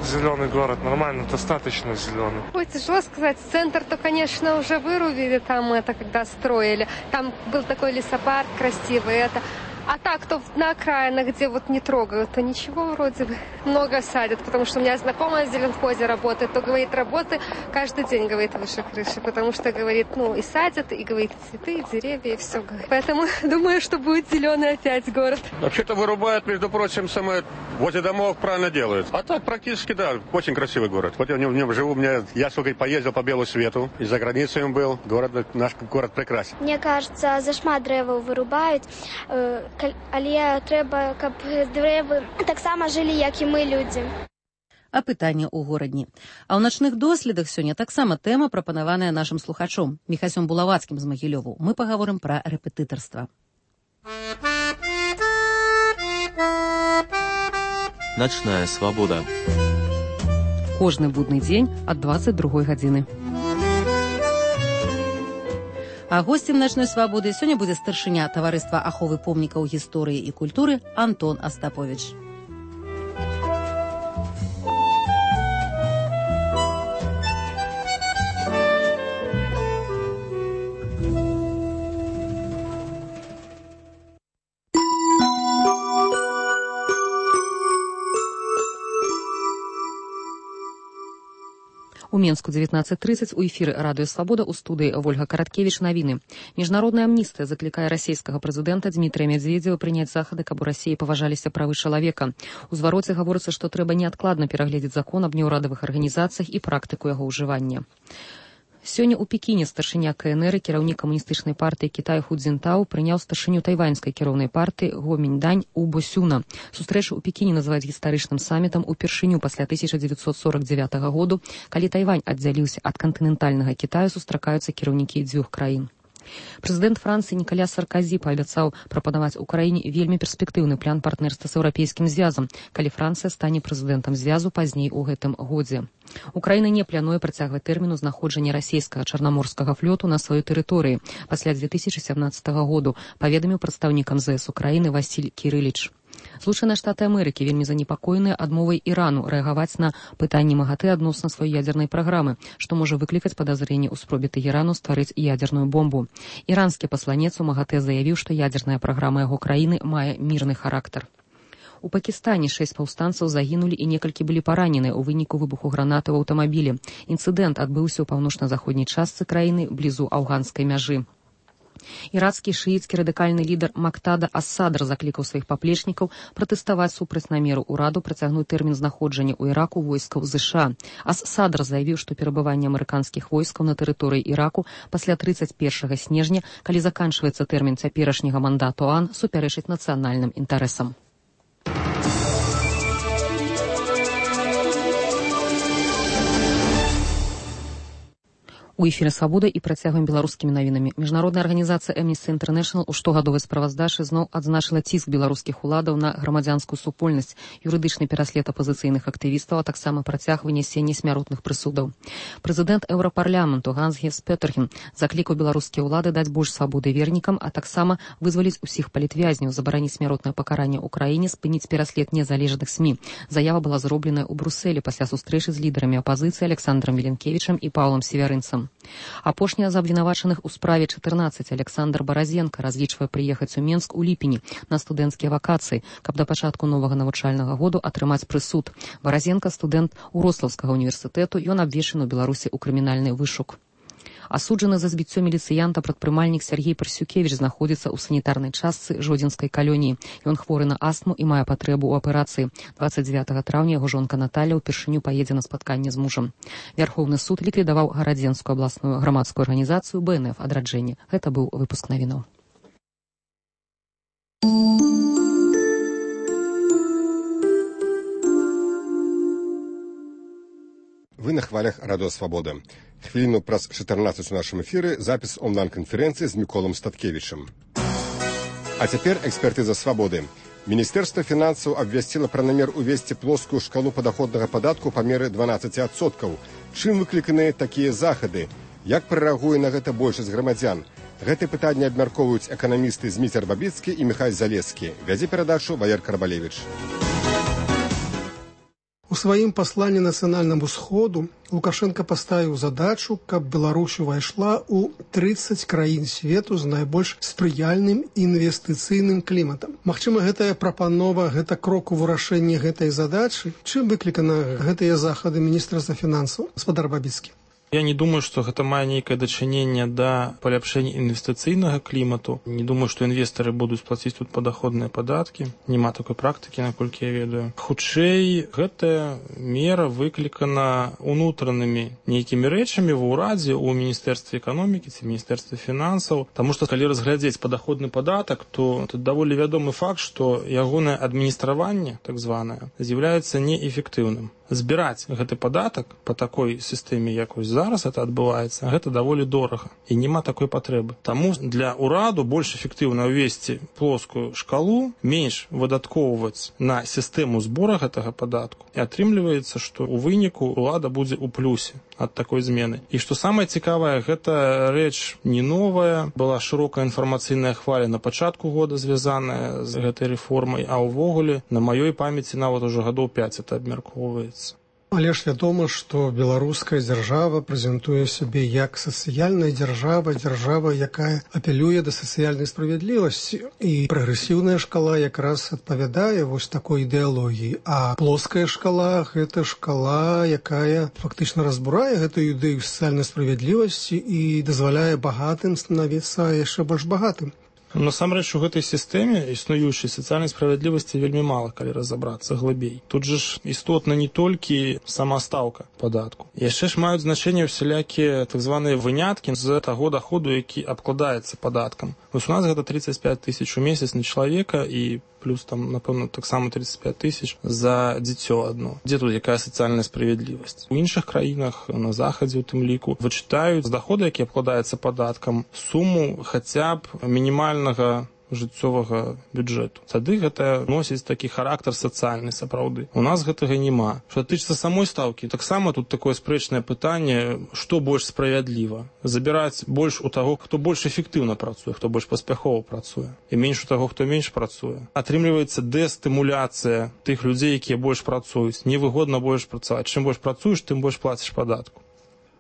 Speaker 32: зеленый город, нормально, достаточно зеленый.
Speaker 33: Ой, тяжело сказать. Центр-то, конечно, уже вырубили там это, когда строили. Там был такой лесопарк красивый, это... А так, то на окраинах, где вот не трогают, то ничего вроде бы. Много садят, потому что у меня знакомая в зеленхозе работает, то, говорит, работы каждый день, говорит, выше крыши, потому что, говорит, ну, и садят, и, говорит, цветы, и деревья, и все. Поэтому думаю, что будет зеленый опять город.
Speaker 34: Вообще-то вырубают, между прочим, самое, возле домов правильно делают. А так, практически, да, очень красивый город. Вот я в нем, в нем живу, у меня, я сколько поездил по белу свету, и за границей он был, город, наш город прекрасен.
Speaker 35: Мне кажется, зашмат дрэваў вырубают, э, але трэба, каб дрэвы таксама жылі, як і мы, людзі.
Speaker 1: А пытанне ў горадні. А ў начных доследах сёння таксама тэма, прапанаваная нашым слухачом Міхасём Булавацкім з Магілёву. Мы пагаворым пра рэпетытарства.
Speaker 4: Начная свабода.
Speaker 21: Кожны будны дзень ад дваццаць другой гадзіны.
Speaker 1: А госцем начной свабоды сёння будзе старшыня таварыства аховы помнікаў гісторыі і культуры Антон Астапович.
Speaker 21: У Менску девятнадцать тридцать у эфіры радыё Свабода, у студыі Вольга Караткевіч навіны. Міжнародная амністыя заклікае расійскага прэзідэнта Дмітрыя Медведзева прыняць захады, каб у Расіі паважаліся правы чалавека. У звароце гаворыцца, што трэба неадкладна перагледзець закон аб неўрадавых арганізацыях і практыку яго ўжывання. Сёння ў Пекіне старшыня ка эн эр і кіраўнік камуністычнай партыі Кітая Ху Цзінтаў прыняў старшыню тайваньскай кіроўнай партыі Го Міньдань у Босюна. Сустрэчу ў Пекіне называюць гістарычным самітам упершыню пасля тысяча дзевяцьсот сорок дзевятага году, калі Тайвань аддзяліўся ад кантынентальнага Кітаю, сустракаюцца кіраўнікі дзвюх краін. Прэзідэнт Францыі Нікаля Сарказі паабяцаў прапанаваць Украіне вельмі перспектыўны план партнерства з еўрапейскім звязам, калі Францыя стане прэзідэнтам звязу пазней у гэтым годзе. Украіна не плануе працягваць тэрміну знаходжання расійскага чарнаморскага флоту на сваёй тэрыторыі пасля дзве тысячы сямнаццатага году, паведаміў прадстаўнік эм зэ эс Украіны Васіль Кірыліч. Злучаныя Штаты Амерыкі вельмі занепакоеныя адмовай Ірану рэагаваць на пытанні МАГАТЭ адносна сваёй ядзернай праграмы, што можа выклікаць падазренне ў спробе Тэхерану стварыць ядзерную бомбу. Іранскі пасланец у МАГАТЭ заявіў, што ядзерная праграма яго краіны мае мірны характар. У Пакістане шэсць паўстанцаў загінулі і некалькі былі параненыя ў выніку выбуху гранаты ў аўтамабілі. Інцыдэнт адбыўся ў паўночна-заходняй частцы краіны блізу афганскай мяжы. Ірацкі шыіцкі радыкальны лідар Мактада ас-Садр заклікаў сваіх паплечнікаў пратэставаць супраць намеру ўраду працягнуць тэрмін знаходжання ў Іраку войскаў ЗША. Ас-Садр заявіў, што перабыванне амерыканскіх войскаў на тэрыторыі Іраку пасля трыццаць першага снежня, калі заканчваецца тэрмін цяперашняга мандату ОАН, супярэчыць нацыянальным інтарэсам. У эфіры «Свабода» і працягваем беларускімі навінамі. Міжнародная арганізацыя Amnesty International у штогадовай справаздачы зноў адзначыла ціск беларускіх уладаў на грамадзянскую супольнасць, юрыдычны пераслед апазіцыйных актывістаў, а таксама працяг вынесення смяротных прысудаў. Прэзідэнт Еўрапарламенту Ганс Герст Пётерхен заклікаў беларускія ўлады даць больш свабоды вернікам, а таксама вызваліць усіх палітвязняў, забараніць смяротнае пакаранне ў краіне, спыніць пераслед незалежных СМІ. Заява была зробленая ў Брусэлі пасля сустрэчы з лідарамі апазіцыі Александром Веленкевічам і Паўлам Севярынцам. Апошні з абвінавачаных у справе чатырнаццаць Александр Баразенка разлічвае прыехаць у Менск у ліпені на студэнцкія вакацыі, каб да пачатку новага навучальнага году атрымаць прысуд. Баразенка студэнт Урослаўскага універсітэту, ён абвешчаны ў Беларусі ў крымінальны вышук. Асуджаны за збіццё міліцыянта прадпрымальнік Сергей Парсюкевіч знаходзіцца ў санітарнай частцы Жодзінскай калоніі. Ён хворы на астму і мае патрэбу ў аперацыі. дваццаць дзевятага траўня яго жонка Наталя ўпершыню паедзе на спатканне з мужам. Вярхоўны суд ліквідаваў гарадзенскую абласную грамадскую арганізацыю бэ эн эф «Адраджэнне». Гэта быў выпуск навінаў.
Speaker 3: Вы на хвалях радыё Свабода. Хвіліну праз чатырнаццаць у нашым эфіры запіс онлайн-канферэнцыі з Міколам Статкевічам. А цяпер экспертыза Свабоды. Міністэрства фінансаў абвясціла пра намер увесці плоскую шкалу падаходнага падатку па меры дванаццаць адсоткаў. Чым выкліканыя такія захады? Як прарэагуе на гэта большасць грамадзян? Гэтыя пытанні абмяркоўваюць эканамісты Зміцер Бабіцкі і Міхась Залескі. Вядзе перадачу Валер Карбалевіч.
Speaker 8: У сваім пасланні нацыянальнаму сходу Лукашенко паставіў задачу, каб Беларусь увайшла ў трыццаць краін свету з найбольш спрыяльным інвестыцыйным кліматам. Магчыма, гэтая прапанова, гэта крок у вырашэнні гэтай задачы. Чым выклікана гэтыя захады міністэрства фінансаў? Гаспадар Бабіцкі.
Speaker 10: Я не думаю, што гэта мае нейкае дачыненне да паляпшэння інвестыцыйнага клімату. Не думаю, што інвестары будуць плаціць тут падаходныя падаткі. Няма такой практыкі, наколькі я ведаю. Хутчэй, гэтая мера выклікана унутранымі нейкімі рэчамі ва ўрадзе, у міністэрстве эканомікі ці міністэрстве фінансаў. Таму што калі разглядзець падаходны падатак, то тут даволі вядомы факт, што ягонае адміністраванне, так званае, з'яўляецца неэфектыўным. Збіраць гэты падатак па такой сістэме, як вось зараз это адбываецца, гэта даволі дорага і няма такой патрэбы. Таму для ўраду больш эфектыўна ўвесці плоскую шкалу, менш выдаткоўваць на сістэму збора гэтага падатку. І атрымліваецца, што ў выніку ўлада будзе ў плюсе ад такой змены. І што самае цікавае, гэта рэч не новая, была шырокая інфармацыйная хваля на пачатку года звязаная з гэтай рэформай, а ўвогуле на маёй памяці нават ужо гадоў пяць это абмяркоўваецца.
Speaker 8: Але ж вядома, што беларуская дзяржава прэзентуе сябе як сацыяльная дзяржава, дзяржава, якая апелюе да сацыяльнай справядлівасці. І прагрэсіўная шкала якраз адпавядае вось такой ідэалогіі. А плоская шкала – гэта шкала, якая фактычна разбурае гэтую ідэю сацыяльнай справядлівасці і дазваляе багатым станавіцца яшчэ больш багатым.
Speaker 10: Насамрэч, у гэтай сістэме існуючай сацыяльнай справядлівасці вельмі мала, калі разабрацца глыбей. Тут жа ж істотна не толькі сама стаўка падатку. Яшчэ ж маюць значэнне ўсялякія так званыя выняткі з таго даходу, які абкладаецца падаткам. Вось у нас гэта тридцать пять тысяч у месяц на чалавека і плюс там, напэўна, таксама тридцать пять тысяч за дзіцё адно. Дзе тут якая сацыяльная справядлівасць? У іншых краінах, на захадзе, у тым ліку, вычытаюць з даходу, які абкладаецца падаткам, суму хаця б мінімальнага жыццёвага бюджэту. Тады гэта носіць такі характар сацыяльны сапраўды. У нас гэтага няма. Што тычыцца самой стаўкі, таксама тут такое спрэчнае пытанне, што больш справядліва. Забіраць больш у таго, хто больш эфектыўна працуе, хто больш паспяхова працуе, і менш у таго, хто менш працуе. Атрымліваецца дэстымуляцыя тых людзей, якія больш працуюць. Невыгодна больш працаваць. Чым больш працуеш, тым больш плаціш падатку.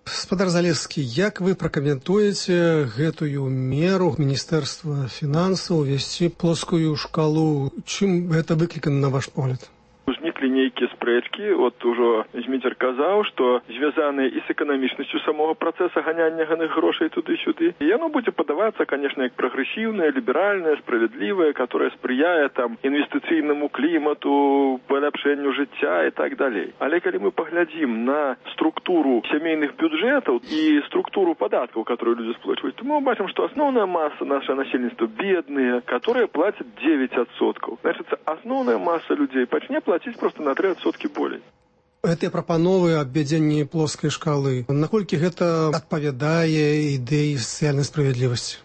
Speaker 8: Спадар Залескі, як вы пракаментуеце гэтую меру Міністэрства фінансаў увесці плоскую шкалу? Чым гэта выклікана, на ваш погляд?
Speaker 2: Узніклі нейкія спрэчкі, от ужо Зміцер казаў, што звязаныя і з эканамічнасцю самога працэса ганяння ганых грошай туды-сюды. І яно будзе падавацца, канешне, як прагрэсіўнае, ліберальнае, справядлівае, которое спрыяе там інвестыцыйнаму клімату, паляпшэнню жыцця і так далей. Але калі мы паглядзім на структуру сямейных бюджэтаў і структуру падаткаў, которые люди сплачваюць, то мы бачым, што асноўная маса нашего насельніцтва бедныя, которые плацяць девять адсоткаў. Значит, асноўная маса людзей пачне плаціць просто на три адсоткі болей.
Speaker 8: Гэтыя прапановы аб ввядзенні плоскай шкалы, наколькі гэта адпавядае ідэі сацыяльнай справядлівасці?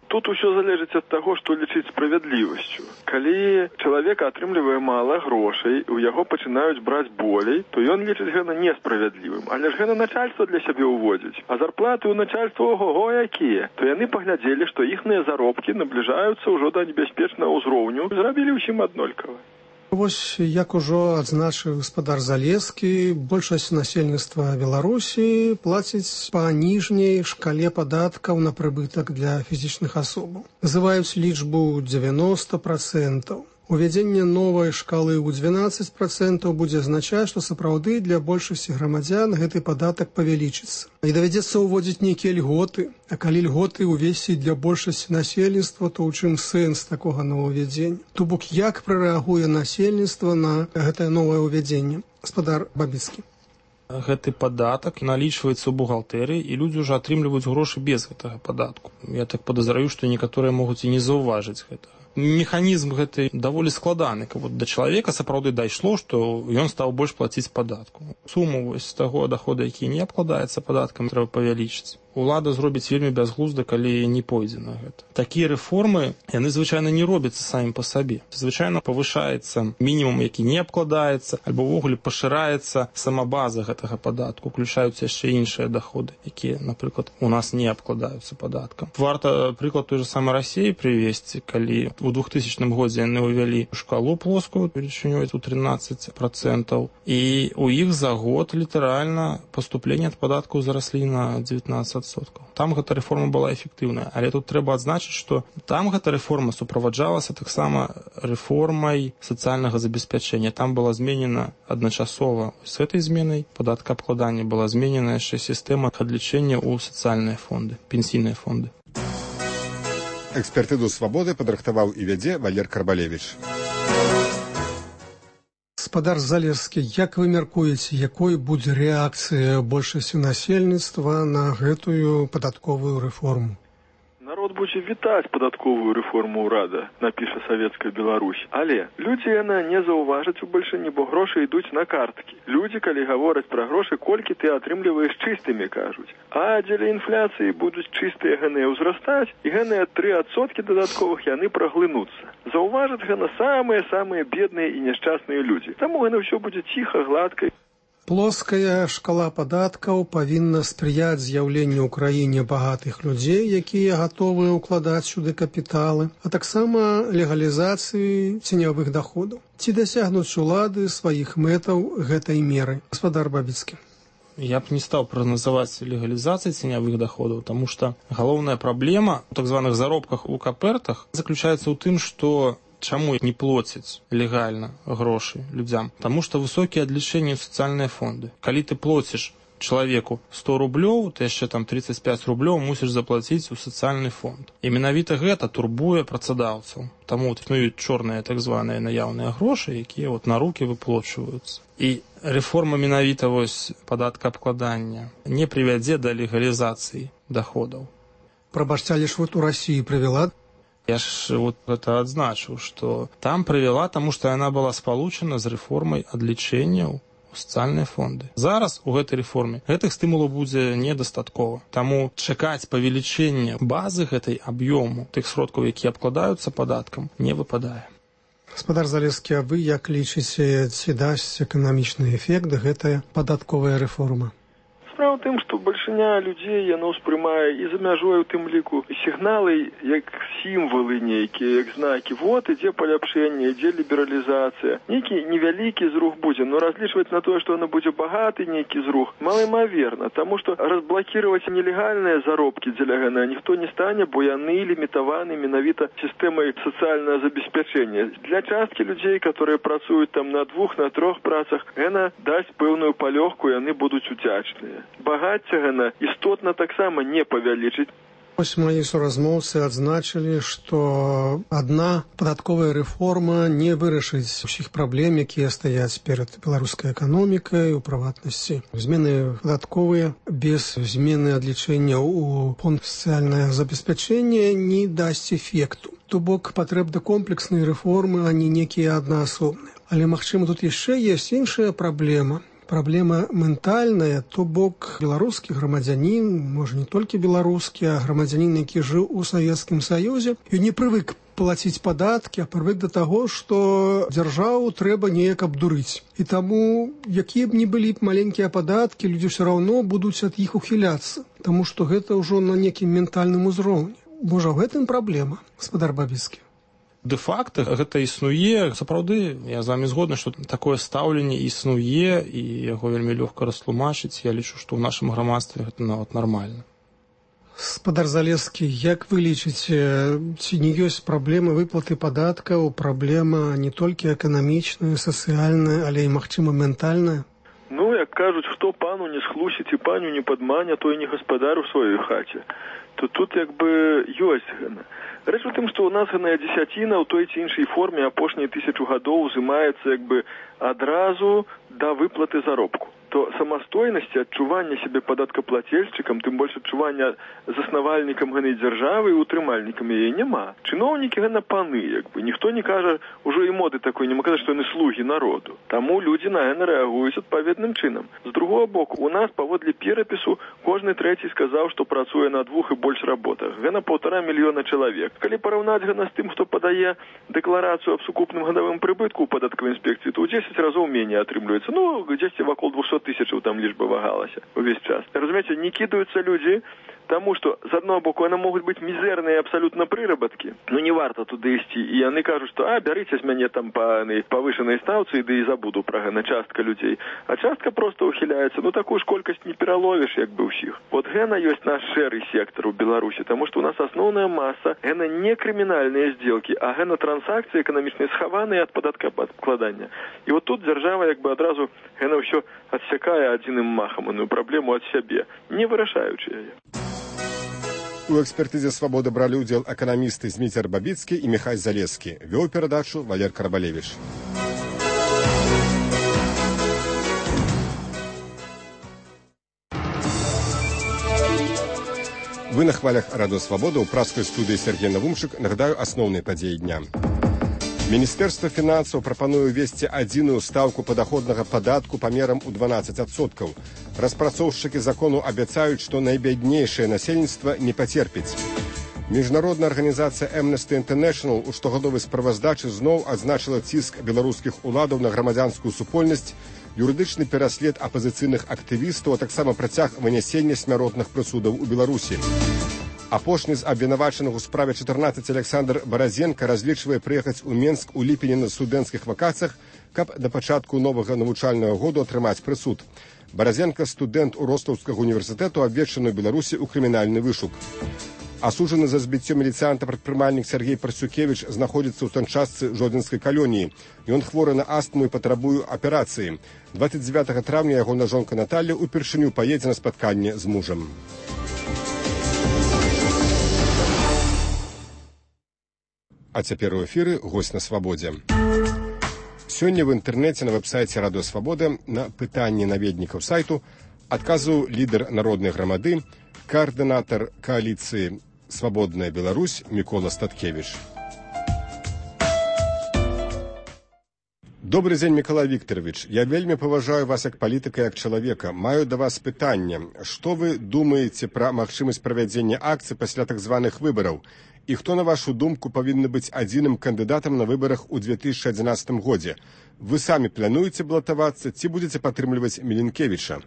Speaker 2: Тут усё залежыць ад таго, што лічыць справядлівасцю. Калі чалавека атрымлівае мала грошай, у яго пачынаюць браць болей, то ён лічыць гэта несправядлівым. Але ж гэта начальства для сябе ўводзіць. А зарплаты ў начальства ого-го якія. То яны паглядзелі, што іхныя заробкі набліжаюцца ўжо да небяспечнага ўзроўню, зрабілі ўсім аднолькава.
Speaker 8: Вось, як ужо адзначыў спадар Залескі, большасць насельніцтва Беларусі плаціць па ніжняй шкале падаткаў на прыбытак для фізічных асобаў. Называюць лічбу девяносто процентов. Увядзенне новай шкалы ў двенадцать процентов будзе азначаць, што сапраўды для большасці грамадзян гэты падатак павялічыцца. І давядзецца ўводзіць нейкія льготы, а калі льготы ўвесці для большасці насельніцтва, то ў чым сэнс такога новаўвядзення? То бок, як прарэагуе насельніцтва на гэтае новае ўвядзенне? Спадар Бабіцкі.
Speaker 10: Гэты падатак налічваецца ў бухгалтэрыі, і людзі ўжо атрымліваюць грошы без гэтага падатку. Я так падазраю, што некаторыя могуць і не заўважыць гэтага. Механізм гэты даволі складаны, каб вот да чалавека сапраўды дайшло, што ён стаў больш плаціць падатку. Суму вось таго дохода, які не абкладаецца падаткам, трэба павялічыць. Улада зробіць вельмі бязглузда, калі не пойдзе на гэта. Такія рэформы, яны звычайна не робяцца самі па сабе. Звычайна павышаецца мінімум, які не абкладаецца, альбо ўвогуле пашыраецца сама база гэтага падатку, уключаюцца яшчэ іншыя доходы, якія, напрыклад, у нас не абкладаюцца падаткам. Варта прыклад той же самой Расіі прывесці, калі у двухтысячным годзе яны ўвялі шкалу плоскую велічынёй у тринадцать процентов, і у іх за год літаральна паступленне ад падаткаў зараслі на девятнадцать процентов. Там гэта рэформа была эфектыўная, але тут трэба адзначыць, што там гэта рэформа суправаджалася таксама рэформай сацыяльнага забеспячэння. Там была зменена адначасова з гэтай зменай падаткаабкладання была зменена яшчэ сістэма адлічэння ў сацыяльныя фонды, пенсійныя фонды.
Speaker 3: Экспертыду «Свабоды» падрыхтаваў і вядзе Валер Карбалевіч.
Speaker 8: Спадар Залескі, як вы мяркуеце, якой будзе рэакцыя большасці насельніцтва на гэтую падатковую рэформу?
Speaker 2: Народ будзе вітаць падатковую рэформу ўрада, напіша Савецкая Беларусь. Але людзі яна не заўважаць у бальшыні, бо грошы ідуць на карткі. Людзі, калі гавораць пра грошы, колькі ты атрымліваеш чыстымі, кажуць. А дзеля інфляцыі будуць чыстыя гэныя ўзрастаць, і гэныя тры адсоткі дадатковых яны праглынуцца. Заўважаць гэна самыя-самыя бедныя і няшчасныя людзі. Таму гэта ўсё будзе ціха, гладка.
Speaker 8: Плоская шкала падаткаў павінна спрыяць з'яўленню ў краіне багатых людзей, якія гатовыя ўкладаць сюды капіталы, а таксама легалізацыі ценявых доходаў. Ці дасягнуць улады сваіх мэтаў гэтай меры? Гаспадар Бабіцкі.
Speaker 10: Я б не стал прогнозовать легализацию ценявых доходов, потому что головная проблема в так званых заробках у капертах заключается в том, что чаму не плоціць легальна грошы людзям? Таму што высокія адлічэнні ў сацыяльныя фонды. Калі ты плоціш чалавеку сто рублёў, ты яшчэ там тридцать пять рублёў мусіш заплаціць у сацыяльны фонд. І менавіта гэта турбуе працадаўцаў. Таму існуюць чорныя так званыя наяўныя грошы, якія вот на рукі выплочваюцца. І рэформа менавіта вось падаткаабкладання не прывядзе да легалізацыі доходаў.
Speaker 8: Прабачце, але ж вот у Расіі прывяла.
Speaker 10: Я ж вот это адзначыў, што там прывяла, таму што яна была спалучана з рэформай адлічэнняў у сацыяльныя фонды. Зараз у гэтай рэформе гэтых стымулаў будзе недастаткова. Таму чакаць павелічэння базы гэтай аб'ёму тых сродкаў, якія абкладаюцца падаткам, не выпадае.
Speaker 8: Гаспадар Залескі, а вы як лічыце, ці дасць эканамічны эфект гэтая падатковая рэформа?
Speaker 2: Справа ў тым, што бальшыня людзей яно ўспрымае і за мяжой у тым ліку сігналы як сімвалы нейкія, як знакі. Вот ідзе паляпшэнне, ідзе лібералізацыя. Нейкі невялікі зрух будзе, но разлічваць на тое, што яно будзе багаты нейкі зрух, малаймаверна, таму што разблакіраваць нелегальныя заробкі дзеля гэага ніхто не стане, бо яны лімітаваны менавіта сістэмай сацыяльнага забеспячэння. Для часткі людзей, которые працуюць там на двух, на трох працах, яна дасць пэўную палёгку, яны будуць удзячныя. Багацце гэна істотна таксама не павялічыць.
Speaker 8: Вось мои суразмоўцы адзначылі, што адна падатковая рэформа не вырашыць усіх праблем, якія стаяць перад беларускай эканомікай, у прыватнасці. Змены падатковыя без змены адлічэння ў фонд сацыяльнае забеспячэнне не дасць эфекту. То бок патрэбны комплексныя рэформы, а не некія аднаасобныя. Але, магчыма, тут яшчэ ёсць іншая праблема. Праблема ментальная, то бок беларускі грамадзянін, можа не толькі беларускі, а грамадзянін, які жыў у Савецкім Саюзе, і не прывык плаціць падаткі, а прывык да таго, што дзяржаву трэба неяк абдурыць. І таму, якія б не былі б маленькія падаткі, людзі ўсё раўно будуць ад іх ухіляцца, таму што гэта ўжо на некім ментальным узроўні. Можа, ў гэтым праблема, гаспадар Бабіцкі?
Speaker 10: Дэ-факта гэта існуе. Сапраўды, я з вами згодны, што такое стаўленне існуе, і яго вельмі лёгка растлумачыць. Я лічу, што ў нашым грамадстве гэта нават нармальна.
Speaker 8: Гаспадар Залескі, як вы лічыце, ці не ёсць праблема выплаты падаткаў, праблема не толькі эканамічная, сацыяльная, але і, магчыма, ментальная?
Speaker 2: Ну, як кажуць, хто пану не схлусіць і паню не падманя, той не гаспадар у сваёй хаце. То тут як бы ёсць гэна. Рэч у тым, што ў нас гэная дзесяціна ў той ці іншай форме апошнія тысячу гадоў узымаецца як бы адразу да выплаты заробку. То самастойнасці, адчування сябе падаткаплацельшчыкам, тым больш адчування заснавальнікам гэтай дзяржавы і утрымальнікам яе няма. Чыноўнікі гэна паны, як бы. Ніхто не кажа, ужо і моды такой, нема казаць, што яны слугі народу. Таму людзі на гэна рэагуюць адпаведным чынам. З другого боку, у нас паводле перапісу кожны трэці сказаў, што працуе на двух і больш работах. Гэна паўтара мільёна чалавек. Калі параўнаць гэна з тым, хто падае дэкларацыю аб сукупным гадавым прыбытку ў падаткавай інспекцыі, то ў дзесяць разоў меней атрымліваецца. Ну, дзесьці вакол двухсот тысячаў там лічба вагалася увесь час. Разумееце, не кідаюцца людзі, таму што, з аднаго боку, яны могуць быць мізэрныя абсалютна прырабаткі, ну не варта туды ісці, і яны кажуць, што а, бярыце з мяне там па павышанай стаўцы, ды і забуду пра гэна частка людзей. А частка проста ухіляецца, ну такую ж колькасць не пераловіш, як бы ўсіх. Вот гэна ёсць наш шэры сектар у Беларусі, таму што у нас асноўная маса гэна не крымінальныя здзелкі, а гэна трансакцыі эканамічныя схаваныя ад падаткаабкладання. І вот тут дзяржава як бы адразу гэна ўсё адсякае адзіным махам іную праблему ад сябе, не вырашаючы яе.
Speaker 3: У экспертызе «Свабода» бралі ўдзел эканамісты Зміцер Бабіцкі і Міхай Залескі. Вёў перадачу Валер Карбалевіч. Вы на хвалях Радио Свобода. У праской студии Сергей Навумчик. Нагадаю асноўныя падзеі дня. Міністэрства фінансаў прапануе ўвесці адзіную стаўку падаходнага падатку памерам у дванаццаць адсоткаў. Распрацоўшчыкі закону абяцаюць, што найбяднейшае насельніцтва не пацерпіць. Міжнародная арганізацыя Amnesty International у штогадовай справаздачы зноў адзначыла ціск беларускіх уладаў на грамадзянскую супольнасць юрыдычны пераслед апазіцыйных актывістаў, а таксама працяг вынясення смяротных прысудаў у Беларусі. Апошні з абвінавачаных у справе чатырнаццаць Александр Баразенка разлічвае прыехаць у Менск у ліпені на студэнцкіх вакацыях, каб да пачатку новага навучальнага году атрымаць прысуд. Баразенка – студэнт Ростаўскага універсітэту, абвешчаны ў Беларусі ў крымінальны вышук. Асуджаны за збіццё міліцыянта-прадпрымальнік Сергей Парсюкевіч знаходзіцца ў санчастцы Жодзінскай калоніі. Ён хворы на астму і патрабуе аперацыі. дваццаць дзевятага траўня ягона жонка Наталля упершыню паедзе на спатканне з мужам. А цяпер у эфіры госць на свабодзе. Сёння в інтэрнэце на вэб-сайце Радыё Свабода на пытанні наведнікаў сайту адказваў лідар народнай грамады, каардынатар кааліцыі «Свабодная Беларусь» Мікола Статкевіч. Добрый дзень, Міколай Вікторович. Я вельмі паважаю вас як палітыка, як чалавека. Маю да вас пытанне. Што вы думаеце пра магчымасць правядзення акцый пасля так званых выбараў? І хто, на вашу думку, павінны быць адзіным кандыдатам на выбарах у две тысячи адзінаццатым годзе? Вы самі плануеце балатавацца ці будзеце падтрымліваць Міленкевіча?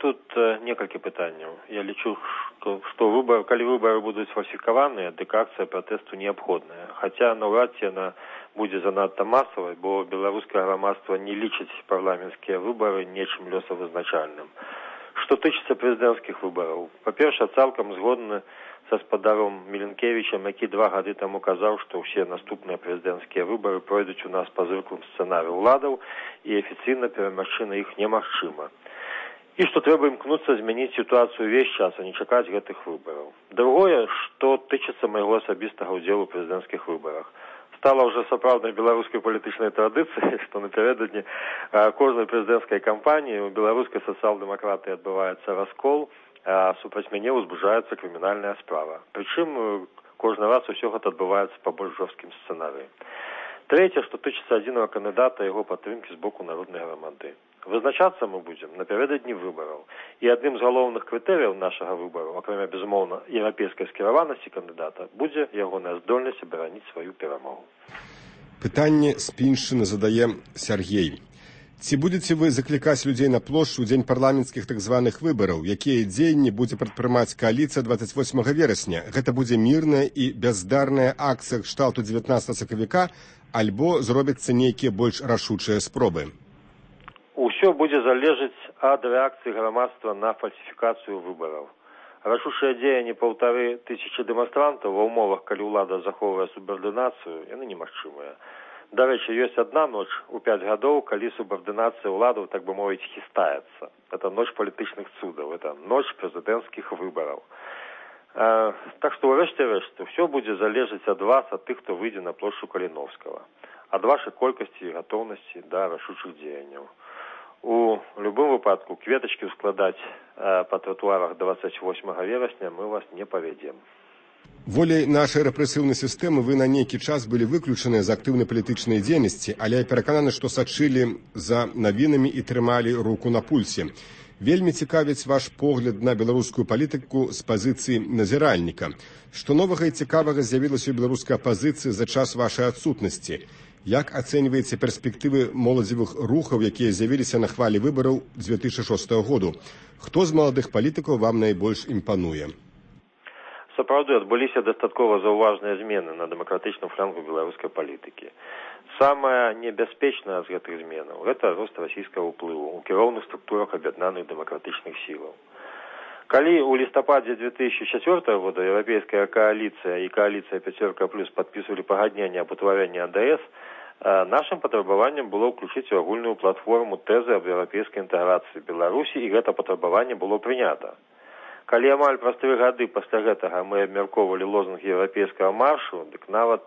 Speaker 5: Тут некалькі пытанняў. Я лічу, што, што выбор, калі выборы будуць сфальсіфікаваныя, дык акцыя пратэсту неабходная. Хаця наўрад ці яна будзе занадта масавай, бо беларускае грамадства не лічыць парламенцкія выборы нечым лёсавызначальным. Што тычыцца прэзідэнцкіх выбораў, па-першае, цалкам згодны са спадаром Міленкевічам, які два гады таму казаў, што ўсе наступныя прэзідэнцкія выборы пройдуць у нас па звыклым сцэнарыю ўладаў і афіцыйна перамагчы на іх немагчыма. І што трэба імкнуцца змяніць сітуацыю ўвесь час, а не чакаць гэтых выбораў. Другое, што тычыцца майго асабістага ўдзелу ў прэзідэнцкіх выборах. Стала ўжо сапраўднай беларускай палітычнай традыцыяй, што напярэдадні кожнай прэзідэнцкай кампаніі у беларускай сацыял-дэмакратыі адбываецца раскол, а супраць мяне ўзбужаецца крымінальная справа. Прычым кожны раз усё гэта адбываецца па больш жорсткім сцэнарыі. Трэцяе, што тычыцца адзінага кандыдата яго падтрымкі з боку народнай грамады. Вызначацца мы будзем напярэдадні выбараў. І адным з галоўных крытэрыяў нашага выбару, акрамя, безумоўна, еўрапейскай скіраванасці кандыдата, будзе ягоная здольнасць абараніць сваю перамогу.
Speaker 3: Пытанне з Піншчыны задае Сергей. Ці будзеце вы заклікаць людзей на плошчу ў дзень парламенцкіх так званых выбараў? Якія дзеянні будзе прадпрымаць кааліцыя дваццаць восьмага верасня? Гэта будзе мірная і бяздарная акцыя кшталту дзевятнаццатага сакавіка, альбо зробяцца нейкія больш рашучыя спробы?
Speaker 5: Усё будзе залежаць ад рэакцыі грамадства на фальсіфікацыю выбараў. Рашучыя дзеянні паўтары тысячы дэманстрантаў ва ўмовах, калі ўлада захоўвае субардынацыю, яны немагчымыя. Дарэчы, ёсць адна ноч у пяць гадоў, калі субардынацыя ўладаў, так бы мовіць, хістаецца. Это ноч палітычных цудаў, это ноч прэзідэнцкіх выбараў. А, так што, ўрэшце рэшт, усё будзе залежаць ад вас, ад тых, хто выйдзе на плошчу Каліновскага, ад вашай колькасці і гатоўнасці да рашучых дзеянняў. У любым выпадку кветачкі складаць э, па тратуарах дваццаць восьмага верасня мы вас не павядзем.
Speaker 3: Воляй нашай рэпрэсіўнай сістэмы вы на нейкі час былі выключаныя з актыўнай палітычнай дзейнасці, але я перакананы, што сачылі за навінамі і трымалі руку на пульсе. Вельмі цікавіць ваш погляд на беларускую палітыку з пазіцыі назіральніка. Што новага і цікавага з'явілася ў беларускай апазіцыі за час вашай адсутнасці? Як ацэньваеце перспектывы моладзевых рухаў, якія з'явіліся на хвалі выбараў две тысячи шостага году? Хто з маладых палітыкаў вам найбольш імпануе?
Speaker 5: Сапраўды адбыліся дастаткова заўважныя змены на дэмакратычным флангу беларускай палітыкі. Самая небяспечная з гэтых зменаў – гэта рост расійскага ўплыву ў кіроўных структурах аб'яднаных дэмакратычных сілаў. Калі ў лістападзе две тысячи чацвёртага года еўрапейская кааліцыя і кааліцыя пяцёрка плюс падпісвалі пагадненне аб утварэнні А Д С, нашым патрабаваннем было ўключыць у агульную платформу тэзы аб еўрапейскай інтэграцыі Беларусі, і гэта патрабаванне было прынята. Калі амаль праз тры гады пасля гэтага мы абмяркоўвалі лозунг еўрапейскага маршу, дык нават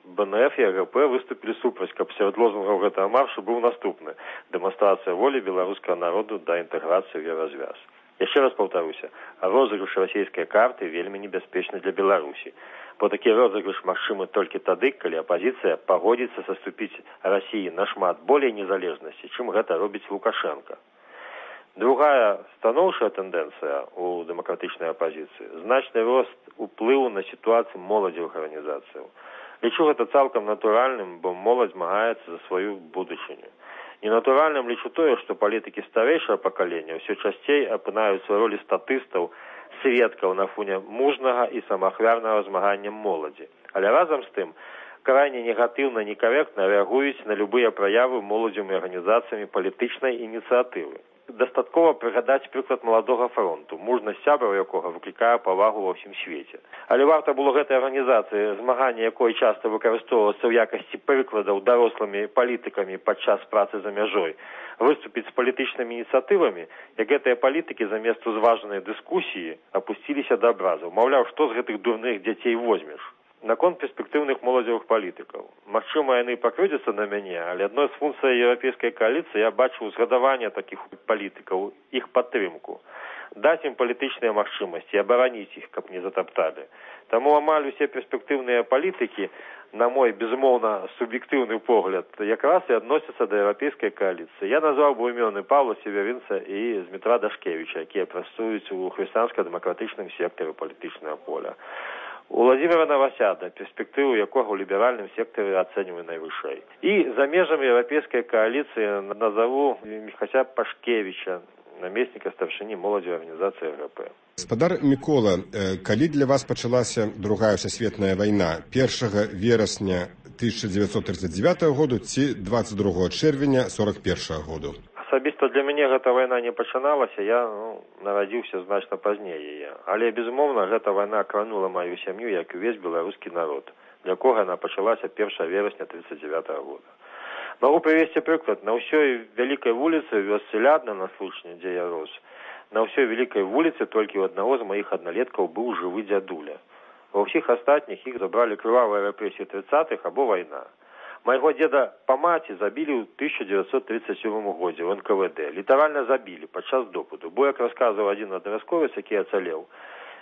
Speaker 5: Б Н Ф і А Г П выступілі супраць, каб сярод лозунгаў гэтага маршу быў наступны – дэманстрацыя волі беларускага народу да інтэграцыі ў еўразвяз. Яшчэ раз паўтаруся, розыгрыш расійскай карты вельмі небяспечны для Беларусі, бо такі розыгрыш магчымы толькі тады, калі апазіцыя пагодзіцца саступіць Расіі нашмат болей незалежнасці, чым гэта робіць Лукашенко. Другая станоўчая тэндэнцыя ў дэмакратычнай апазіцыі – значны рост уплыву на сітуацыю моладзевых арганізацыяў. Лічу гэта цалкам натуральным, бо моладзь змагаецца за сваю будучыню. Ненатуральным лічу тое, што палітыкі старэйшага пакалення ўсё часцей апынаюцца ў ролі статыстаў, сведкаў на фоне мужнага і самаахвярнага змагання моладзі. Але разам з тым, крайне негатыўна, некорректна реагуюць на любыя праявы моладзевымі арганізацыямі палітычнай ініцыятывы. Дастаткова прыгадаць прыклад маладога фронту, мужнасць сябраў якога выклікае павагу ва ўсім свеце. Але варта было гэтай арганізацыі, змагання якой часта выкарыстоўвацца ў якасці прыкладаў дарослымі палітыкамі падчас працы за мяжой, выступіць з палітычнымі ініцыятывамі, як гэтыя палітыкі замест узважанай дыскусіі апусціліся да абразаў. Маўляў, што з гэтых дурных дзяцей возьмеш? Наконт перспектыўных моладзевых палітыкаў. Магчыма, яны пакрыўдзяцца на мяне, але адной з функцый еўрапейскай кааліцыі я бачу узгадаванне такіх палітыкаў, іх падтрымку. Даць ім палітычныя магчымасці, абараніць іх, каб не затапталі. Таму амаль усе перспектыўныя палітыкі, на мой, безумоўна, суб'ектыўны погляд, якраз і адносяцца да еўрапейскай кааліцыі. Я назваў бы імёны Паўла Северынца і Змітра Дашкевіча, якія працуюць у хрысціянска-дэмакратычным сектары палітычнага поля. У Владимира Новосяда, перспектыву якога ў ліберальным сектары ацэньваю найвышэй. І за межамі еўрапейскай кааліцыі назову Міхася Пашкевіча, намесніка старшыні моладзевай арганізацыі РП.
Speaker 3: Гаспадар Мікола, калі для вас пачалася другая сусветная вайна? першага верасня тысяча дзевяцьсот тридцать девятого году ці двадцать другого чэрвеня сорок першага году?
Speaker 5: Асабіста для мяне гэта вайна не пачыналася, я ну, нарадзіўся значна пазней яе. Але, безумоўна, гэта вайна кранула маю сям'ю, як і увесь беларускі народ, для кога яна пачалася першага верасня тридцать девятого года. Магу прывесці прыклад. На ўсёй вялікай вуліцы ў вёсцы Лядна, на Случні, дзе я рос, на ўсёй вялікай вуліцы толькі ў аднаго з маіх адналеткаў быў жывы дзядуля. Ва ўсіх астатніх іх забралі крывавыя рэпрэсіі тридцатых або вайна. Майго деда па маці забілі ў тысяча дзевяцьсот тридцать седьмым годзе ў эн ка вэ дэ. Літаральна забілі падчас допыту, бо, як расказваў адзін абавязковец, які ацалеў,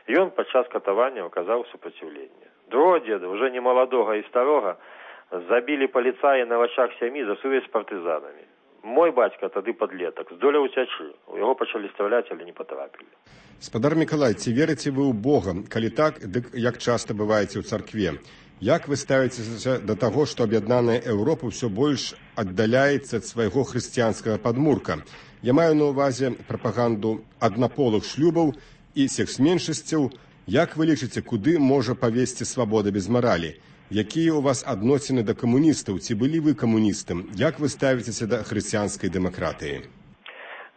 Speaker 5: ён падчас катавання аказаў супраціўленне. Другого деда, уже не маладога і старога, забілі паліцаі на вачах сям'і за сувязь з партызанамі. Мой бацька, тады падлетак, здолеў уцячы. У яго пачалі страляць, але не патрапілі.
Speaker 3: Спадар Мікалай, ці верыце вы ў Бога? Калі так, дык як часта бываеце ў царкве? Як вы ставіцеся да таго, што аб'яднаная Еўропа ўсё больш аддаляецца ад свайго хрысціянскага падмурка? Я маю на ўвазе прапаганду аднаполых шлюбаў і секс-меншасцяў. Як вы лічыце, куды можа павесці свабода без маралі? Якія ў вас адносіны да камуністаў? Ці былі вы камуністам? Як вы ставіцеся да хрысціянскай дэмакратыі?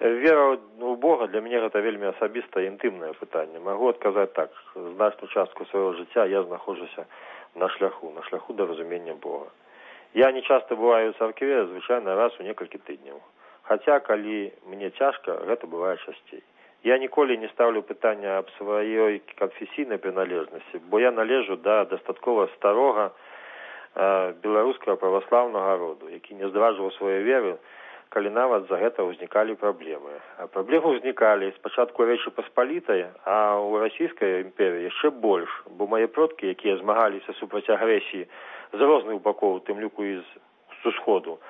Speaker 5: Вера ў Бога для мяне гэта вельмі асабістае інтымнае пытанне. Магу адказаць так. Значную частку свайго жыцця я знаходжуся на шляху, на шляху да разумення Бога. Я не часта бываю ў царкве, звычайна раз у некалькі тыдняў. Хаця, калі мне цяжка, гэта бывае часцей. Я ніколі не ставлю пытання аб сваёй канфесійнай прыналежнасці, бо я належу да дастаткова старога э, беларускага праваслаўнага роду, які не здраджваў свае веры, калі нават за гэта ўзнікалі праблемы. А праблемы ўзнікалі спачатку Рэчы Паспалітай, а ў расійскай імперыі яшчэ больш, бо мае продкі, якія змагаліся супраць агрэсіі з розных бакоў, тым ліку і з усходу,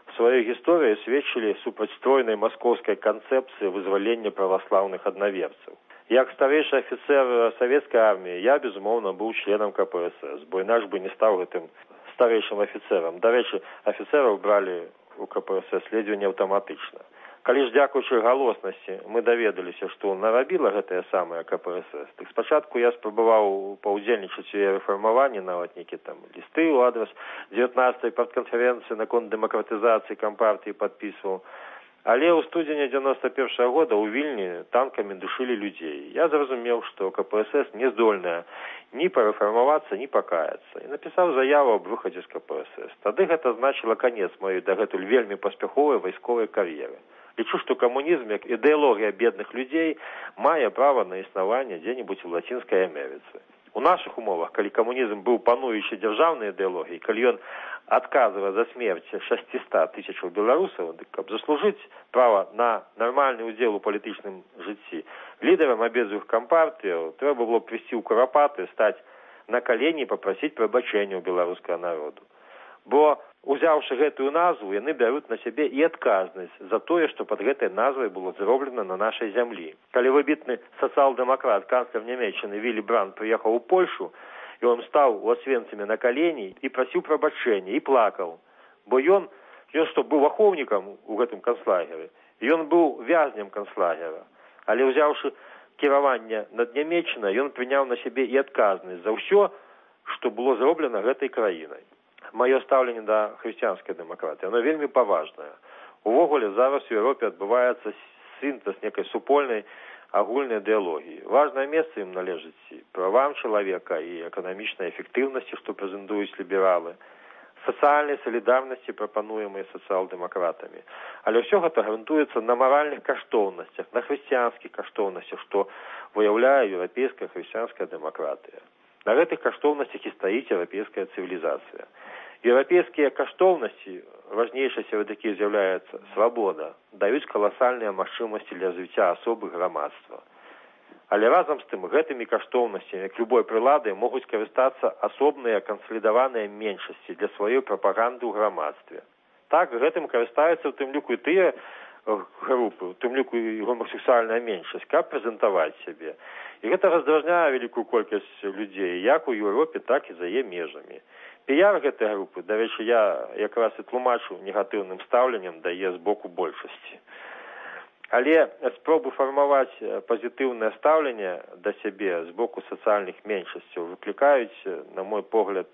Speaker 5: в сваёй гісторыі сведчылі супраць стройнай маскоўскай канцэпцыі вызвалення праваслаўных аднаверцаў. Як старэйшы афіцэр савецкай арміі, я, безумоўна, быў членам ка пэ эс эс, бо інакш бы не стаў гэтым старэйшым афіцэрам. Дарэчы, афіцэраў бралі у ка пэ эс эс ледзьве не аўтаматычна. Калі ж, дзякуючы галоснасці, мы даведаліся, што нарабіла гэтая самая ка пэ эс эс, так спачатку я спрабаваў паўдзельнічаць у яе рэфармаванні, нават нейкі там лісты ў адрас дзевятнадцатай партканферэнцыі наконт дэмакратызацыі кампартыі падпісваў. Але ў студзені дзевяносто першага года ў Вільні танкамі душылі людзей. Я зразумеў, што ка пэ эс эс не здольная ні парэфармавацца, ні пакаяцца. І напісаў заяву аб выхадзе з ка пэ эс эс. Тады гэта значыла канец маёй дагэтуль вельмі паспяховай вайсковай кар'еры. Лічу, што камунізм, як ідэалогія бедных людзей, мае права на існаванне дзе-небудзь у лацінскай Амерыцы. У нашых умовах, калі камунізм быў пануючай дзяржаўнай ідэалогіяй, калі ён адказвае за смерць шасцісот тысячаў беларусаў, дык каб заслужыць права на нармальны ўдзел у палітычным жыцці, лідарам абедзвюх кампартыяў трэба было прыйсці ў Курапаты, стаць на калені і папрасіць прабачэння ў беларускага народу. Бо, узяўшы гэтую назву, яны бяруць на сябе і адказнасць за тое, што пад гэтай назвай было зроблена на нашай зямлі. Калі выбітны сацыял-дэмакрат, канцлер Нямецчыны Вілі Брандт прыехаў у Польшу, і он стаў у Асвенцыме на калені і прасіў прабачэння, і плакаў, бо ён Ён што, быў ахоўнікам у гэтым канцлагеры. Ён быў вязнем канцлагера. Але ўзяўшы кіраванне над Нямеччынай, ён прыняў на сябе і адказнасць за ўсё, што было зроблена гэтай краінай. Маё стаўленне да хрысціянскай дэмакратыі, оно вельмі паважнае. Увогуле, зараз у Еўропе адбываецца сінтэз некай супольнай агульнай ідэалогіі. Важнае месца ім належыць правам чалавека і эканамічнай эфектыўнасці, што прэзентуюць лібералы, сацыяльнай салідарнасці, прапануемай сацыял-дэмакратамі. Але ўсё гэта грунтуецца на маральных каштоўнасцях, на хрысціянскіх каштоўнасцях, што выяўляе еўрапейская хрысціянская дэмакратыя. На гэтых каштоўнасцях і стаіць еўрапейская цывілізацыя. Еўрапейскія каштоўнасці, важнейшай сярод якіх з'яўляецца свабода, даюць каласальныя магчымасці для развіцця асобы грамадства. Але разам з тым гэтымі каштоўнасцямі, як любой прылады, могуць карыстацца асобныя кансалідаваныя меншасці для сваёй прапаганды ў грамадстве. Так, гэтым карыстаюцца ў тым ліку і тыя групы, у тым ліку і гомасексуальная меншасць, каб прэзентаваць сябе. І гэта раздражняе вялікую колькасць людзей, як у Еўропе, так і за яе межамі. Піяр гэтай групы, дарэчы, я якраз і тлумачу негатыўным стаўленнем дае з боку большасці. Але спробы фармаваць пазітыўнае стаўленне да сябе з боку сацыяльных меншасцяў выклікаюць, на мой погляд,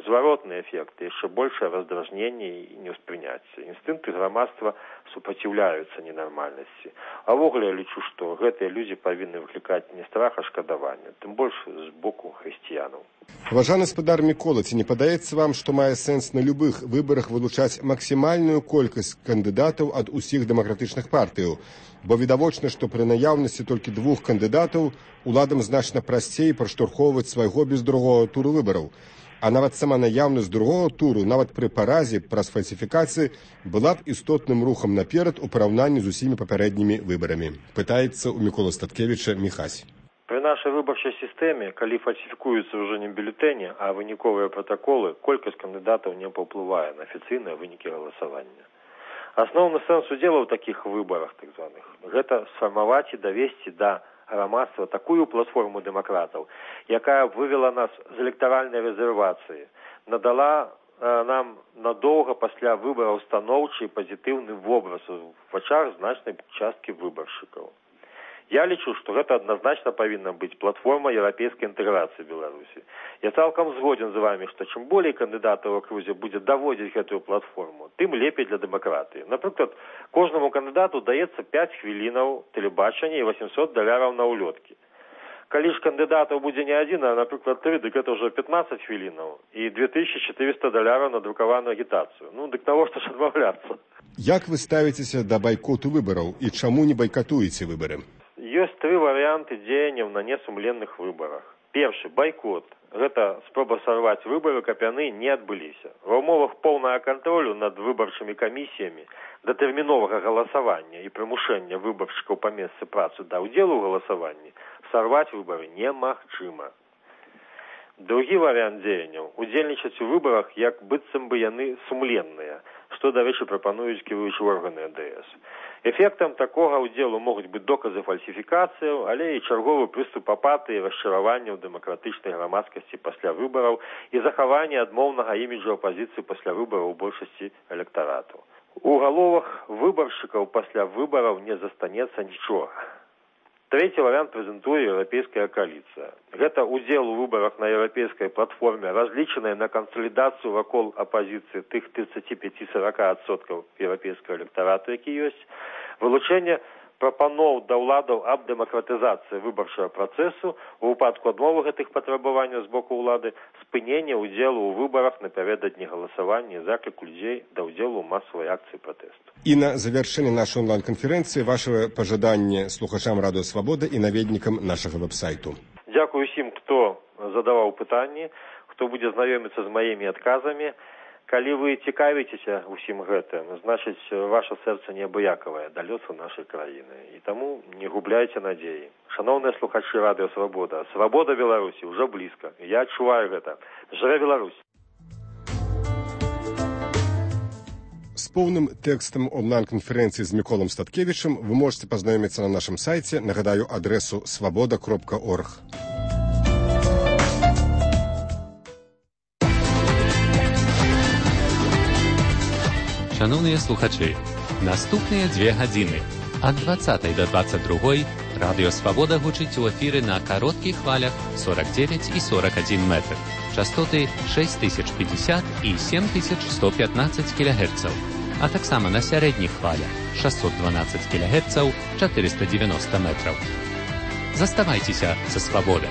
Speaker 5: зваротны эфект, яшчэ большае раздражненне і неўспрыняцце. Інстынкты грамадства супраціўляюцца ненармальнасці. А ввогуле я лічу, што гэтыя людзі павінны выклікаць не страх, а шкадаванне, тым больш з боку хрысціянаў.
Speaker 3: Уважаемый спадар Мікола, ці не падаецца вам, што мае сэнс на любых выбарах вылучаць максімальную колькасць кандыдатаў ад усіх дэмакратычных партыяў? Бо відавочна, што пры наяўнасці толькі двух кандыдатаў уладам значна прасцей праштурхоўваць свайго без другого туру выбараў. А нават сама наяўнасць другого туру, нават пры паразе праз фальсіфікацыі, была б істотным рухам наперад у параўнанні з усімі папярэднімі выбарамі. Пытаецца ў Мікола Статкевіча Міхась.
Speaker 5: Пры нашай выбарчай сістэме, калі фальсіфікуюцца ўжо не бюлетэні, а выніковыя пратаколы, колькасць кандыдатаў не паўплывае на афіцыйныя вынікі галасавання. Асноўны сэнс удзела ў такіх выбарах, так званых, гэта сфармаваць і давесці да грамадства такую платформу дэмакратаў, якая вывела нас з электаральнай рэзервацыі, надала э, нам надоўга пасля выбараў станоўчы і пазітыўны вобраз у вачах значнай часткі выбаршчыкаў. Я лічу, што гэта адназначна павінна быць платформа еўрапейскай інтэграцыі Беларусі. Я цалкам згодзін з вамі, што чым болей кандыдатаў у акрузе будзе даводзіць гэтую платформу, тым лепей для дэмакратыі. Напрыклад, кожнаму кандыдату даецца пяць хвілінаў тэлебачання і восемьсот даляраў на ўлёткі. Калі ж кандыдатаў будзе не адзін, а, напрыклад, тры, дык гэта ўжо пятнаццаць хвілінаў і две тысячи четыреста даляраў на друкаваную агітацыю. Ну, дык навошта ж адмаўляцца?
Speaker 3: Як вы ставіцеся да байкоту выбараў і чаму не байкатуеце выбары?
Speaker 5: Ёсць тры варыянты дзеянняў на несумленных выбарах. Першы – байкот. Гэта спроба сарваць выбары, каб яны не адбыліся. Ва ўмовах поўнага кантролю над выбарчымі камісіямі, датэрміновага галасавання і прымушэння выбаршчыкаў па месцы працы да ўдзелу ў галасаванні сарваць выбары немагчыма. Другі варыянт дзеянняў – удзельнічаць у выбарах, як быццам бы яны сумленныя, што, дарэчы, прапануюць кіруючыя органы эн дэ эс. Эфектам такога ўдзелу могуць быць доказы фальсіфікацыяў, але і чарговы прыступ апатыі, расчаравання ў дэмакратычнай грамадскасці пасля выбараў і захаванне адмоўнага іміджу апазіцыі пасля выбараў у большасці электарату. У галовах выбаршчыкаў пасля выбараў не застанецца нічога. Трэці варыянт прэзентуе еўрапейская кааліцыя. Гэта удзел у выбарах на еўрапейскай платформе, разлічанай на кансалідацыю вакол апазіцыі тых тридцать пять - сорок адсоткаў еўрапейскага электарату, які ёсць, вылучэнне прапаноў да ўладаў аб дэмакратызацыі выбарчага працэсу, у выпадку адмовы гэтых патрабаванняў з боку ўлады, спынення ўдзелу ў выбарах напярэдадні галасавання і заклік людзей да ўдзелу ў масавай акцыі пратэсту.
Speaker 3: І на завяршэнне нашай онлайн-канферэнцыі ваше пажаданне слухачам Радыё Свабода і наведнікам нашага вэб-сайту.
Speaker 5: Дзякую усім, хто задаваў пытанні, хто будзе знаёміцца з маімі адказамі. Калі вы цікавіцеся ўсім гэтым, значыць, ваша сэрца неабыякавае да лёсу нашай краіны. І таму не губляйце надзеі. Шаноўныя слухачы Радыё Свабода, свабода Беларусі ўжо блізка. Я адчуваю гэта. Жыве Беларусь!
Speaker 3: З поўным тэкстам онлайн-канферэнцыі з Міколам Статкевічам вы можете пазнаёміцца на нашым сайце. Нагадаю адресу свабода кропка орг.
Speaker 7: Шановні слухачі, наступні дві години ад двадцятої до двадцять другої Радіо Свобода гучить у ефірі на коротких хвалях сорок дев'ять і сорок один метр. Частоти шість тисяч п'ятдесят і сім тисяч сто п'ятнадцять кілогерців, а так само на середніх хвалях шістсот дванадцять кілогерців, чотириста дев'яносто метрів. Заставайтеся со Свободой.